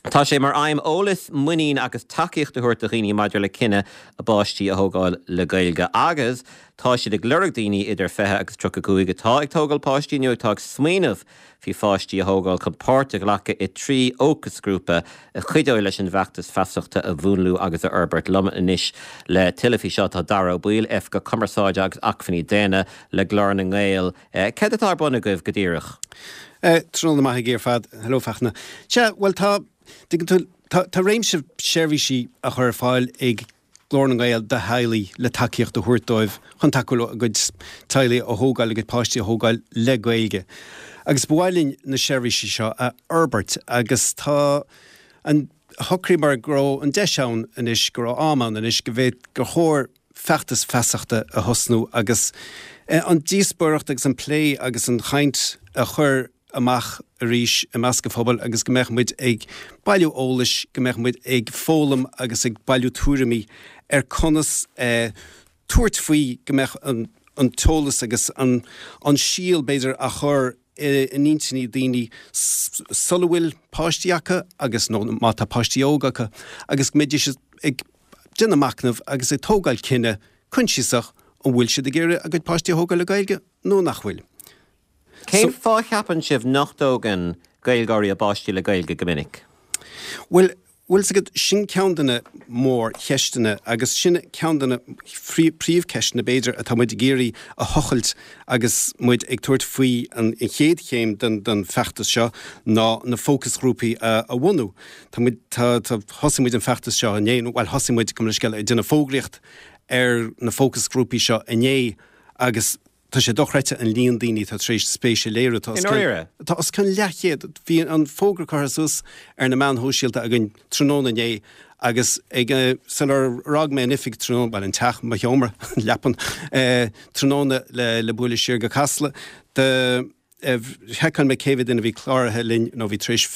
Tá sé mar aidhm eolas, muinín agus tacaíocht a thabhairt do dhaoine maidir le cinneadh a bpáistí a thógáil le Gaeilge agus tá siad ag lorg daoine idir fiche agus tríocha cúig atá ag tógáil páistí nó atá ag smaoineamh faoi pháistí a thógáil chun páirt a ghlacadh i trí fhócasghrúpa a chuideoidh leis an bhfeachtas feasachta a mhúnlú agus a fhorbairt. Liom anois le tuilleadh faoi seo tá Dara Ó Baoill, Oifigeach Cumarsáide agus Acmhainní Daonna le Glór na nGael. Céard atá ar bun agaibh go díreach? Tráthnóna maith agaibh ar fad. Hello Fachtna. Sea, bhuel tá, tuigeann tú, tá, tá réimse seirbhísí á chur ar fáil ag Glór na nGael do theaghlaigh le tacaíocht a thabhairt dóibh chun tacú leo a gcuid teaghlaigh a thógáil, a gcuid páistí a thógáil le Gaeilge. Agus ba mhaith linn na seirbhísí seo a fhorbairt agus tá an, shocraíomar go raibh an deis ann anois, go raibh am ann anois go bhféad, gur chóir feachtas feasachta a thosnú agus an díospóireacht agus an plé agus an chaint a chur amach arís i measc an phobail agus go mbeadh muid ag bailiú eolais, go mbeadh muid ag foghlaim agus ag bailiú tuairimí ar conas tabhairt faoi go mbeadh an t-eolas agus an síol, b'fhéidir, á chur in intinní daoine sula bhfuil páistí acu agus, nó má tá páistí óga acu, agus go mbeidís ag déanamh machnaimh agus ag tógáil cinneadh coinsiasach an bhfuil siad ag iarraidh a gcuid páistí a thógáil le Gaeilge nó nach bhfuil. Cén fáth a cheapann sibh nach dtógann Gaeilgeoirí a bpáistí le Gaeilge go minic? Bhuel, bhfuil 's agat, sin ceann de na mórcheisteanna agus sin ceann de na príomhcheisteanna b'fhéidir atá muid ag iarraidh a thochailt agus muid ag tabhairt faoi an chéad chéim den feachtas seo ná na fócasghrúpaí a bhunú. Tá muid, tá, tá, thosaigh muid an feachtas seo inné, nó bhuel thosaigh muid, gabh mo leithscéal, ag déanamh fógraíocht ar na fócasghrúpaí seo inné agus Tá sé dochreidte an líon daoine atá tar éis spéis a léiriú. Tá os cionn, tá os cionn leathchéad. Bhí an fógra curtha suas ar na meáin shóisialta againn tráthnóna inné agus ag, sular fhág mé an oifig tráthnóna, bhuel an teach, mo sheomra, an leapan, tráthnóna le, le bualadh siar go Casla, do, sheiceáil mé cé mhéad duine a bhí cláraithe linn nó a bhí tar éis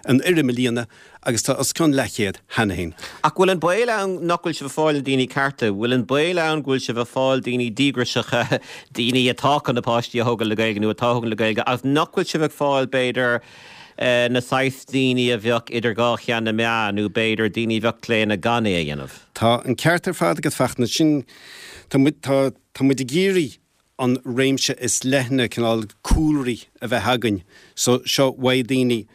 an fhoirm a líonadh agus tá os cionn leathchéad cheana féin. Ach bhfuil an baol ann nach bhfuil sibh ag fáil na daoine cearta? Bhfuil an baol ann go bhfuil sibh ag fáil daoine díograiseacha, daoine atá chun a bpáistí a thógáil le Gaeilge nó atá á thógáil le Gaeilge agus nach bhfuil sibh ag fáil b'fhéidir na saghas daoine a bheadh idir dhá cheann na meá nó b'fhéidir daoine a bheadh claonta gan é a dhéanamh? Tá an ceart ar fad agat Fachtna. Sin, tá muid, tá, tá muid ag iarraidh an réimse is leithne cineál cúlraí a bheith againn so seo uaidh daoine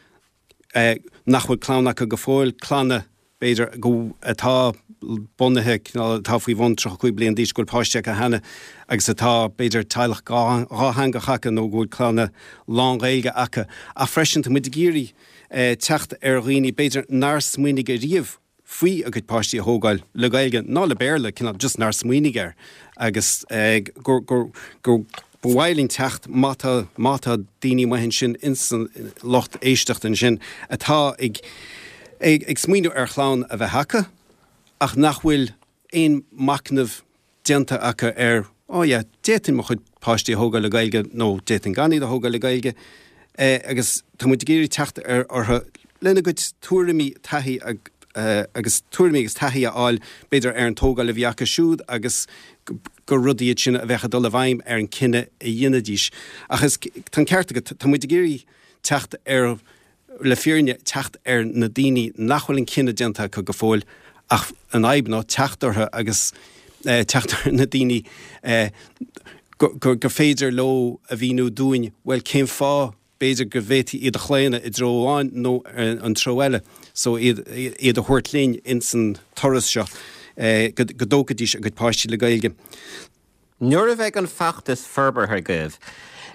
nach bhfuil clann acu go fóill, clanna b'fhéidir, go, atá bunaithe, cineál, atá faoi bhun tríocha cúig bliain d'aois, go bhfuil páistí acu cheana agus atá, b'fhéidir, teaghlach dhátheangach acu nó go bhfuil clanna lán-Ghaeilge acu. Ach freisin, tá muid ag iarraidh teacht ar dhaoine, b'fhéidir, nár smaoinigh ariamh faoi a gcuid páistí a thógáil le Gaeilge ná le Béarla, cineál just nár smaoinigh air agus gur, gur, gur ba mhaith linn teacht má tá, má tá daoine amuigh ansin ins an lucht éisteachta ansin atá ag, ag, ag smaoineamh ar chlann a bheith acu ach nach bhfuil aon machnamh déanta acu ar, oh yeah, d'fhéadfainn mo chuid páistí a thógáil le Gaeilge nó d'fhéadfainn gan iad a thógáil le Gaeilge agus tá muid ag iarraidh teacht ar orthu lena gcuid tuairimí, taithí agus tuairimí agus taithí a fháil b'fhéidir ar an tógáil a bhí acu siúd agus gur rudaí iad sin a bheadh ag dul i bhfeidhm ar an cinneadh a dhéanfaidís. Ach is, tá an ceart agat, tá muid ag iarraidh teacht ar, le fírinne, teacht ar na daoine nach bhfuil an cinneadh déanta acu go fóill ach an fhadhb ná teacht orthu agus teacht ar na daoine gur gur féidir leo a mhíniú dúinn, bhuel cén fáth b'fhéidir go bhféadfaí iad a chlaonadh i dtreo amháin nó an treo eile so iad iad a thabhairt linn ins an turas seo go go dtógfaidís a gcuid páistí le Gaeilge. Nuair a bheidh an feachtas forbartha agaibh,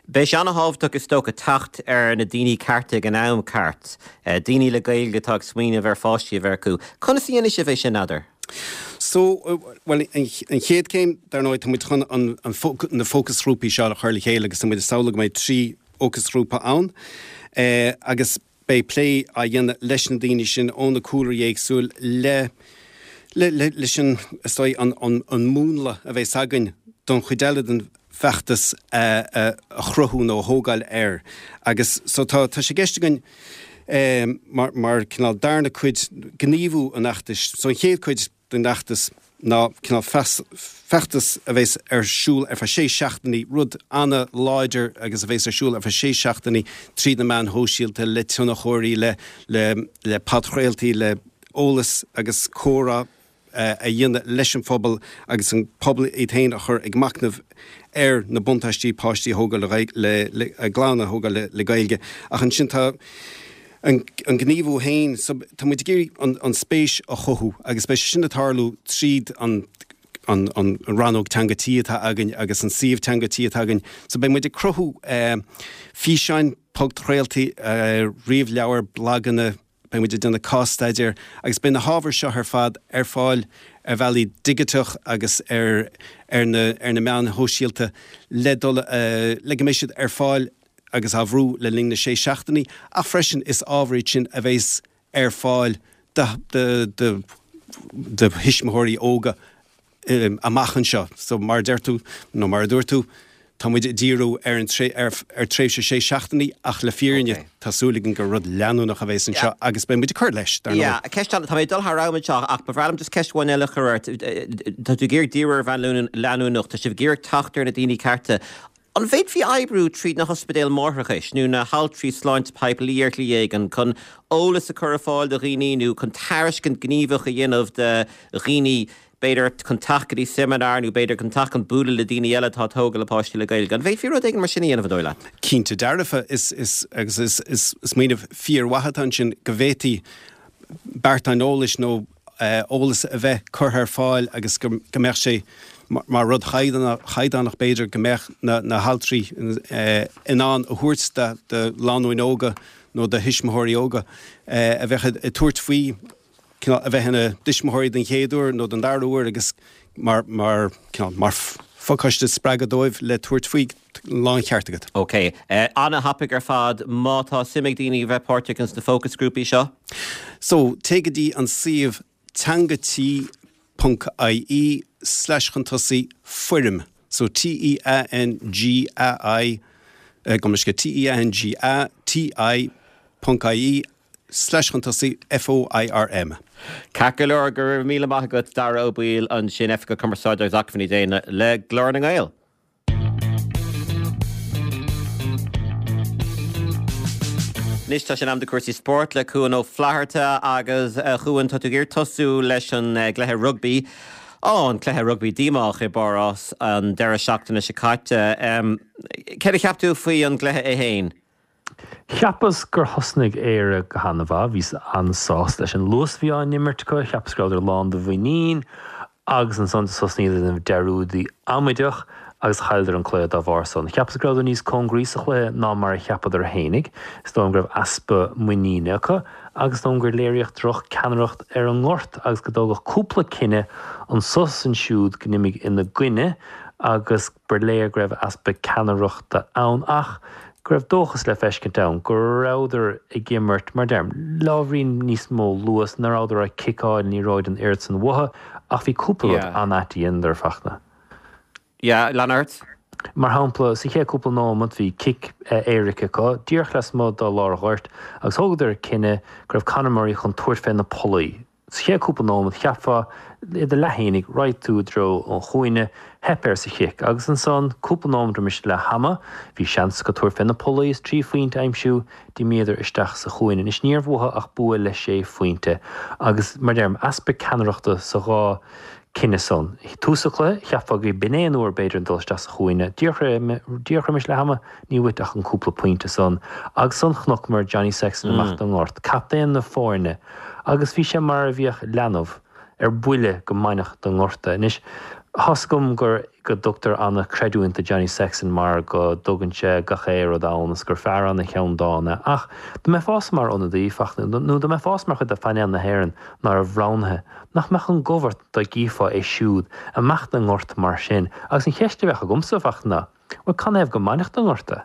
beidh sé an-thábhachtach is dócha teacht ar na daoine cearta ag an am ceart, daoine le Gaeilge atá ag smaoineamh ar pháistí a bheith acu. Conas a dhéanfaidh sibh é sin, n'fheadar? So, bhuel, an chéad chéim, dar ndóigh, tá muid chun an, an, na fócasghrúpaí seo a chur le chéile agus tá muid ag samhlú go mbeidh trí fhócasghrúpa ann agus beidh plé á dhéanamh leis na daoine sin ó na cúlraí éagsúil le, le, le, leis an, is dóigh, an, an, an múnla a bheas againn don chuid eile den bhfeachtas a, a, a chruthú nó a thógáil air. Agus so tá, tá sé i gceist againn mar, mar cineál darna cuid gníomhú an fheachtais, so an chéad chuid den fheachtas ná cineál feachtas a bheas ar siúl ar feadh sé seachtainí, rud an-láidir agus a bheas ar siúl ar feadh sé seachtainí tríd na meáin shóisialta, le tionchóirí, le le podchraoltaí, le eolas agus comhrá a dhéanamh leis an phobal agus an pobal iad féin a chur ag machnamh ar na buntáistí páistí a thógáil le, le, a gclann a thógáil le Gaeilge. Ach ansin tá an gníomhú féin, so tá muid ag iarraidh an spéis a chothú agus beidh sé sin ag tarlú tríd an an an rannóg Teanga Tí atá againn agus an suíomh Teanga Tí atá againn. So beidh muid ag cruthú físeáin, podchraoltaí, ríomhleabhair, blaganna, beidh muid ag déanamh cás-staidéir agus beidh na hábhair seo ar fad ar fáil ar bhealaí digiteach agus ar ar na ar na meáin shóisialta le dul le go mbeidh siad ar fáil agus á bhrú le linn na sé seachtainí, ach freisin is ábhar iad sin a bheas ar fáil do do thuismitheoirí óga amach anseo. So mar a deir tú, nó mar a dúirt tú, tá muid ag díriú ar an ar ar tréimhse sé seachtainí ach le fírinne tá súil againn gur rud leanúnach a bheas anseo agus beidh muid ag cur leis, dar ndóigh. Yeah, ceist eile, tá mé ag dul thar am anseo ach ba bhreá liom just ceist amháin eile a chur ort. Tá tú ag iarraidh díriú ar bhonn leanúnach, tá sibh ag iarraidh teacht ar na daoine cearta. An bhféadfaí oibriú tríd na hospidéil máithreachais nó na haltraí sláinte poiblí ar shlí éigin chun eolas a chur ar fáil do dhaoine nó chun tairiscint gníomhach a dhéanamh do dhaoine, b'fhéidir chun teacht go dtí seimineár nó b'fhéidir chun teacht chun bualadh le daoine eile atá ag tógáil a bpáistí le Gaeilge? An bhféadfaí rud éigin mar sin a dhéanamh, an dóigh leat? Cinnte dearfa, is, is, agus is, is smaoineamh fíormhaith atá ansin go bhféadfaí beartáin eolais nó eolas a bheith curtha ar fáil agus go mbeadh sé mar rud chaighdeánach b'fhéidir go mbeadh na haltraí in ann a thabhairt do lánúin óga nó do thuismitheoirí óga a bheadh ag tabhairt faoi a bheith ina dtuismitheoirí den chéad uair nó den dara huair agus mar mar mar phacáiste spreagadh dóibh le tabhairt faoi. Láncheart agat. Ok. Ana-thapaidh ar fad. Má tá suim ag daoine a bheith páirteach ins na fócasghrúpaí seo? So, téigh go dtí an suíomh teangatí ponc ie slash chun tosaigh foirm. So, T-E-A-N-G-A-I, gabh mo leithscéal, T-E-A-N-G-A-T-I ponc ie slash chun tosaigh F-O-I-R-M. Ceart go leor, go raibh míle maith agat Dara Ó Baoill ansin, Oifigeach Cumarsáide agus Acmhainní Daonna le Glór na nGael. Anois tá sé in am do cúrsaí spóirt le Cuan Ó Flatharta agus a Chuain, tá tú ag iarraidh tosú leis an gcluiche rugbaí. Á, an cluiche rugbaí díomách i bPáras an deireadh seachtaine seo caite. Céard a cheap tú faoi an gcluiche é féin? Cheapas gur thosnaigh Éire go han-mhaith, bhíos an-sásta leis an luas a bhí á n-imirt acu, cheapas go rabhadar lán de mhuinín agus ansan do thosnaíodar ag déanamh dearúdaí amaideach agus chailleadar an cluiche dá bharr san. Cheapas go rabhadar níos cóngaraí sa chluiche ná mar a cheapadar fhéinig, is dóigh liom go raibh easpa muiníne acu agus is dóigh liom gur léiríodh droch-ceannaireacht ar an ngort agus go dtógadh cúpla cinneadh anso is ansiúd go n-imigh ina gcoinne agus ba léir go raibh easpa ceannaireachta ann ach go raibh dóchas le feiscint ann go rabhadar ag imirt, mar deirim, le ábhairín níos mó luas, ná rabhadar ag ciceáil an liathróid an oiread san uathu ach bhí cúpla rud an-ait a dheineadar, a Fachtna. Yeah, lean ort. Mar shampla, sa chéad cúpla nóimeat bhí cic éirice acu, díreach lasmuigh de lár an ghoirt, agus thógadar cinneadh go raibh Conor Murray chun tabhairt fé na pollaí. Sa chéad cúpla nóimeat, cheapfá, i do leath fhéinig, raghaidh tú i dtreo an chúinne, theip air sa chic. Agus ansan, cúpla nóimeat roimis leath ama, bhí seans acu tabhairt fé na pollaí is trí phointe a aimsiú, d'imíodar isteach sa chúinne. Anois, níorbh uathu ach bua le sé phointe. Agus, mar deirim, easpa ceannaireachta sa dhá cinneadh san. Tús an chluiche, cheapfá go b'in é an uair b'fhéidir dul isteach sa chúinne. Díreach roimis leath ama, ní uait ach an cúpla pointe san. Agus ansan chonaiceamar Johnny Sexton amach don ngort, captaen na foirne, agus bhí sé mar a bheadh leanbh ar buile go mbainfeadh den ngort é. Anois, thá's agam gur go dtugtar ana-chreidiúint do Johnny Sexton mar go dtugann sé gach aon rud ann is gur fear ana-cheann dána é ach dá mbeifeása mar ionadaí, Fachtna, nó dá mbeifeása mar chuid de phainéal na hÉireann ná raibh roghnaithe, nach mbeadh an gomh ort dá gcífeá é siúd amach den ngort mar sin? Agus an cheist a bheadh agamsa, Fachtna, ná, bhuel, canathaobh go mbainfeadh den ngort é?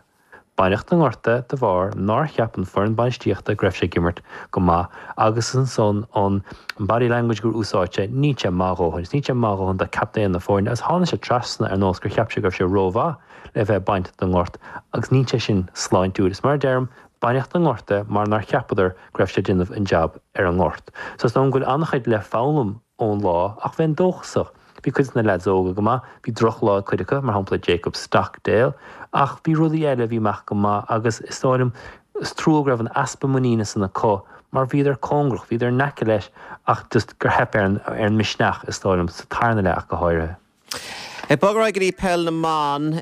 Baineadh den ngort é de bharr nár cheap an foireann bainistíochta go raibh sé ag imirt go maith agus ansan an body language gur úsáid sé, níl sé maith a dhóthain, is níl sé maith a dhóthain do captaen na foirne agus tháinig sé trasna ar nós gur cheap sé go raibh sé rómhaith le bheith ag baint den ngort agus níl sé sin sláintiúil. Is mar a deirim, baineadh den ngort é mar nár cheapadar go raibh sé ag déanamh an jab ar an ngort. So is dóigh liom go bhfuil an-chuid le foghlaim ón lá ach bheinn dóchasach. Bhí cuid de na leaids óga go maith, bhí drochlá ag cuid acu, mar shampla Jacob Stockdale, ach bhí rudaí eile a bhí amach go maith agus is dóigh liom, is trua go raibh an easpa muiníne san acu mar bhíodar cóngarach, bhíodar in aice leis ach just gur theip ar an, ar an misneach is dóigh liom, sa tarna leath ach go háirithe. Ag bogadh ar aghaidh go dtí Peil na mBan,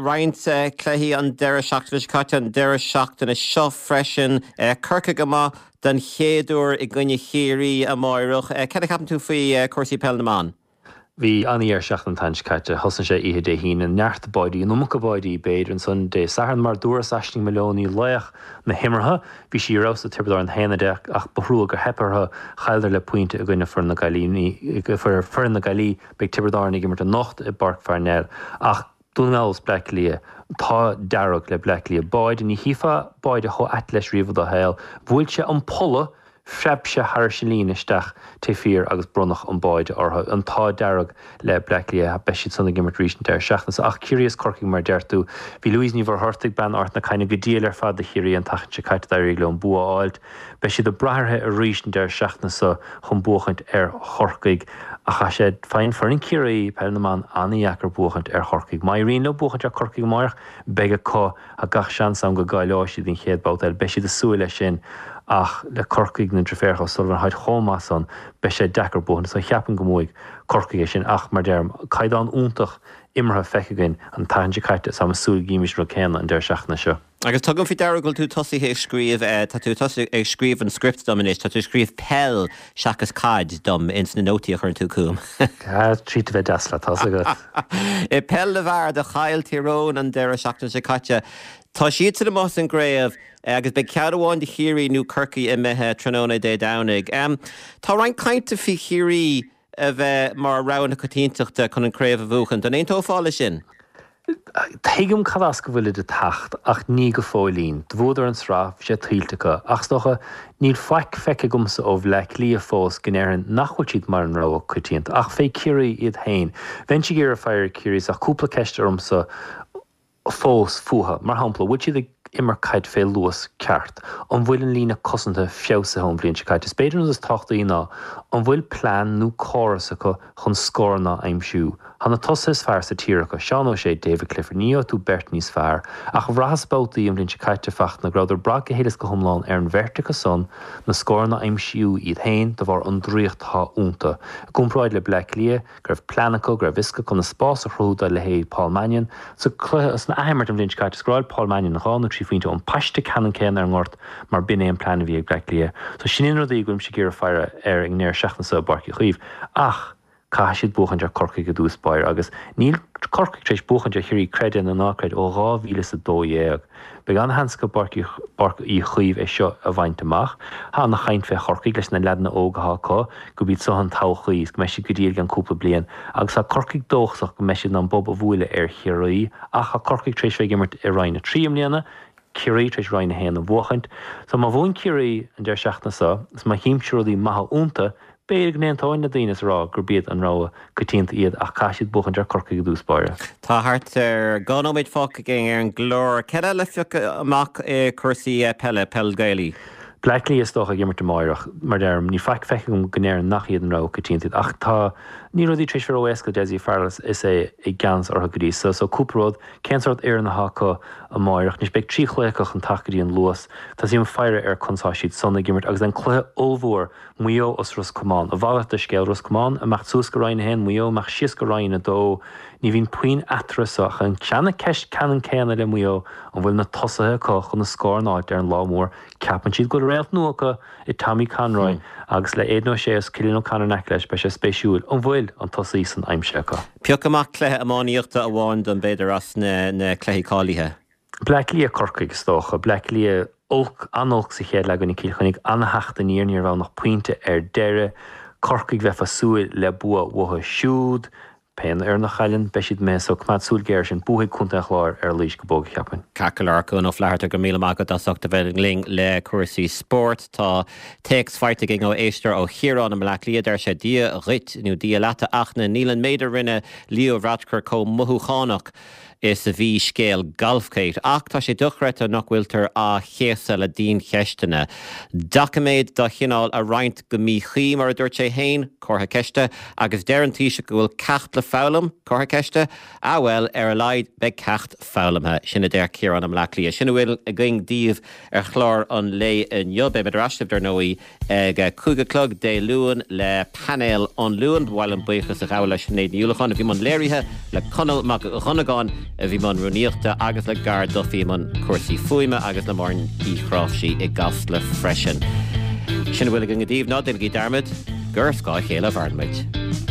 roinnt cluichí an deireadh seachtaine seo caite, an deireadh seachtaine seo freisin. Corcaigh amuigh den chéad uair i gcoinne Chiarraí amáireach. Cad a cheapann tú faoi chúrsaí Peil na mBan? Bhí an-dheireadh seachtaine an tseachtain seo caite. Thosnaigh sé oíche Dé hAoine, neart báidí, an iomarca báidí b'fhéidir, ansan Dé Sathairn mar dúras Aisling Moloney, laoch na himeartha. Bhí sí ar fheabhas do Tiobraid Árann a haon a deich ach ba thrua gur theip orthu. Chailleadar le pointe i gcoinne foireann na Gaillimhe, foireann na Gaillimhe. Beidh Tiobraid Árann ag imirt anocht i bPáirc Pharnell. Ach Dún na nGall is Bleá Cliath, an t-ádh dearg le Bleá Cliath. Báide, ní chífeá báide chomh ait leis riamh i do shaol. Bhuail sé an polla Phreab sé thairis an líne isteach taobh thiar agus bronnadh an báide orthu. An t-ádh dearg le Bleá Cliath. Beidh siad san ag imirt arís an deireadh seachtaine seo. Ach Ciarraí is Corcaigh mar a deir tú. Bhí Louise Ní Mhuircheartaigh, bean Ard na Caithne, go diail ar fad do Chiarraí an tseachtain seo caite. D'éirigh leo an bua a fháilt. Beidh siad ag brath uirthi arís an deireadh seachtaine seo chun buachaint ar Chorcaigh. Ach tá sé, faigheann foireann Chiarraí, Peil na mBan, an-dheacair buachaint ar Chorcaigh. Má éiríonn leo buachaint ar Corcaigh amáireach, beidh acu. Tá gach seans ann go gcáileoidh siad don chéad babhta eile. Beidh siad ag súil leis sin ach le Corcaigh, na deirféaracha O'Sullivan, táid chomh maith san, beidh sé deacair buachan. So cheapfainn go mbuafaidh Corcaigh é sin ach, mar deirim, caighdeán iontach imeartha feicthe againn an tseachtain seo caite is táim ag súil go gcífimis an rud céanna an deireadh seachtaine seo. Agus tugaim faoi deara go bhfuil tú tosaithe ag scríobh, tá tú tosaithe ag scríobh an script dom anois, tá tú ag scríobh peil seachas caid dom ins na nótaí a chuireann tú chugam. Ah, tríd a bheith deas leat, tá's agat. I bpeil na bhfear, do chaill Tír Eoghain an deireadh seachtaine seo caite. Tá siadsan amuigh as an gcraobh agus beidh ceann amháin de Chiarraí nó Corcaigh imithe tráthnóna Dé Domhnaigh. Tá roinnt cainte faoi Chiarraí a bheith mar rogha na coitiantachta chun an chraobh a bhuachan. An aontófá leis sin? Tuigim cad as go bhfuilid ag teacht ach ní go fóillín. Do bhuadar an tsraith, bhí sé tuillte acu. Ach is dócha, níl faic feicthe agamsa ó Bhleá Cliath fós go ndéarfainn nach bhfuil siad mar an rogha coitianta. Ach fé Ciarraí iad féin, bheinnse ag iarraidh faire ar Ciarraí ach cúpla ceist ormsa fós fúthu. Mar shampla, bhfuil siad ag imirt caid fé luas ceart? An bhfuil an líne cosanta feabhsaithe ón bhliain seo caite? Is b'fhéidir an rud is tábhachtaí ná, an bhfuil plean nó córas acu chun scóranna a aimsiú? Tá na tosaithe is fearr sa tír acu, Seán O'Shea, David Clifford, ní gheobhaidh tú beirt níos fearr. Ach bhraitheas babhtaí an bhliain seo caite, Fachtna, go rabhadar ag brath go huile is go hiomlán ar an bheirt acu san na scóranna a aimsiú iad féin de bharr an draíocht atá iontu. I gcomparáid le Bleá Cliath, go raibh plean acu, go raibh fhios acu conas spás a chruthú do leithéid Paul Mannion. Sa cluiche, san athimirt an bhliain seo caite, scóráil Paul Mannion dhá nó trí trí phointe ón paiste ceannann céanna ar an ngort mar b'in é an plean a bhí ag Bleá Cliath. So sin iad na rudaí go bhfuilimse ag iarraidh faire air ag an ndeireadh seachtaine seo i bPáirc Uí Chaoimh. Ach caithfidh siad buachaint ar Corcaigh i dtús báire agus níl Corcaigh tar éis buachaint ar Chiarraí, creid é nó ná creid, ó dhá mhíle is a dó dhéag. Beidh an-sheans acu i bPáirc Uí Chaoimh é seo a bhaint amach. Tá ana-chaint fé Chorcaigh leis na leaideanna óga atá acu, gurb iad seo an todhchaí is go mbeidh siad go diail i gceann cúpla bliain. Agus tá Corcaigh dóchasach go mbeidh siad in ann bob a bhuaileadh ar Chiarraí. Ach tá Corcaigh tar éis bheith ag imirt i Roinn a trí i mbliana, Ciarraí tar éis Roinn a haon a bhuachaint. So má bhuann Ciarraí an deireadh seachtaine seo is má chímse rudaí maithe iontu, B'fhéidir go n-aontóinn le daoine is a rá gurb iad an rogha coitianta iad ach caithfidh siad buachaint ar Corcaigh i dtús báire. Tá thart ar dhá nóiméad fágtha againn ar an gclár. Cad eile le piocadh amach i cúrsaí peile, peil Gaelaí? Bleá Cliath is dócha ag imirt amáireach. Mar deirim, níl faic feicthe agam go ndeireann nach iad an rogha coitianta iad ach tá, níl rudaí tar éis bheith ró-éasca do Dessie Farrell is é i gceannas orthu go dtí so. So cúpla rud, cén sórt fhoireann atá acu amáireach? Anois beidh trí chluiche acu chun teacht go dtí an Luas. Tosaím faire ar conas tá siad san ag imirt agus an cluiche ollmhór Maigh Eo is Ros Comáin. A mhalairt de scéal, Ros Comáin ag imeacht suas go Roinn a haon, Maigh Eo ag imeacht síos go Roinn a dó. Ní bhíonn puinn eatarthu so ach an tseana-cheist ceannann céanna le Maigh Eo, an bhfuil na tosaithe acu chun na scóir a fháilt ar an lá mór? Ceapann siad go bhfuil réalt nua acu i Tommy Conroy agus le Aidan O'Shea is Cillian O'Connor in aice leis, beidh sé spéisiúil an bhfuil an tosaí san aimsithe acu. Pioc amach cluiche iománaíochta amháin dom b'fhéidir as na cluichí cáilithe. Bleá Cliath, Corcaigh, is dócha. Bleá Cliath olc, an-olc sa chéad leath i gcoinne Cill Chainnigh, an-theacht aniar, ní raibh ann ach pointe ar deireadh. Corcaigh, bheifeá ag súil le bua uathu siúd. Pé fhoireann a chailleann, beidh siad imithe so coimeád súil ghéar air sin. Buafaidh Contae an Chláir ar Laois go bog, cheapfainn. Ceart go leor, Cuan Ó Flatharta, go raibh míle maith agat as ucht a bheith linn le cúrsaí spóirt. Tá téacs faighte againn ó éisteoir ó Chiarán i mBleá Cliath, deir sé, Dia dhuit nó Dia leat a Fhachtna, níl an méid a rinne Leo Varadkar chomh mothúchánach is a bhí scéal Golfgate, ach tá sé dochreidte nach bhfuiltear á chéasadh le diancheisteanna. Doiciméad dá chineál a roinnt go míchuí, mar a dúirt sé féin, comhartha ceiste, agus deir an Taoiseach go bhfuil ceacht le foghlaim, comhartha ceiste? Ah bhuel, ar a laghad beidh ceacht foghlamtha. Sin a deir Ciarán i mBleá Cliath. Sin a bhfuil againn daoibh ar chlár an lae inniu. Beimid ar ais libh, dar ndóigh, Ag a cúig a chlog Dé Luain le Painéal an Luain, ba mhaith liom buíochas a ghabháil le Sinéad Ní Uallacháin a bhí i mbun léirithe, le Conall Mac Dhonnagáin a bhí i mbun rúnaíochta agus le Gar Duffy i mbun cúrsaí fuaime agus le Máirín Uí Chráimhsí i gCasla freisin. Sin a bhfuil againn daoibh, ná déanaigí dearmad gur ar scáth a chéile a mhaireann muid.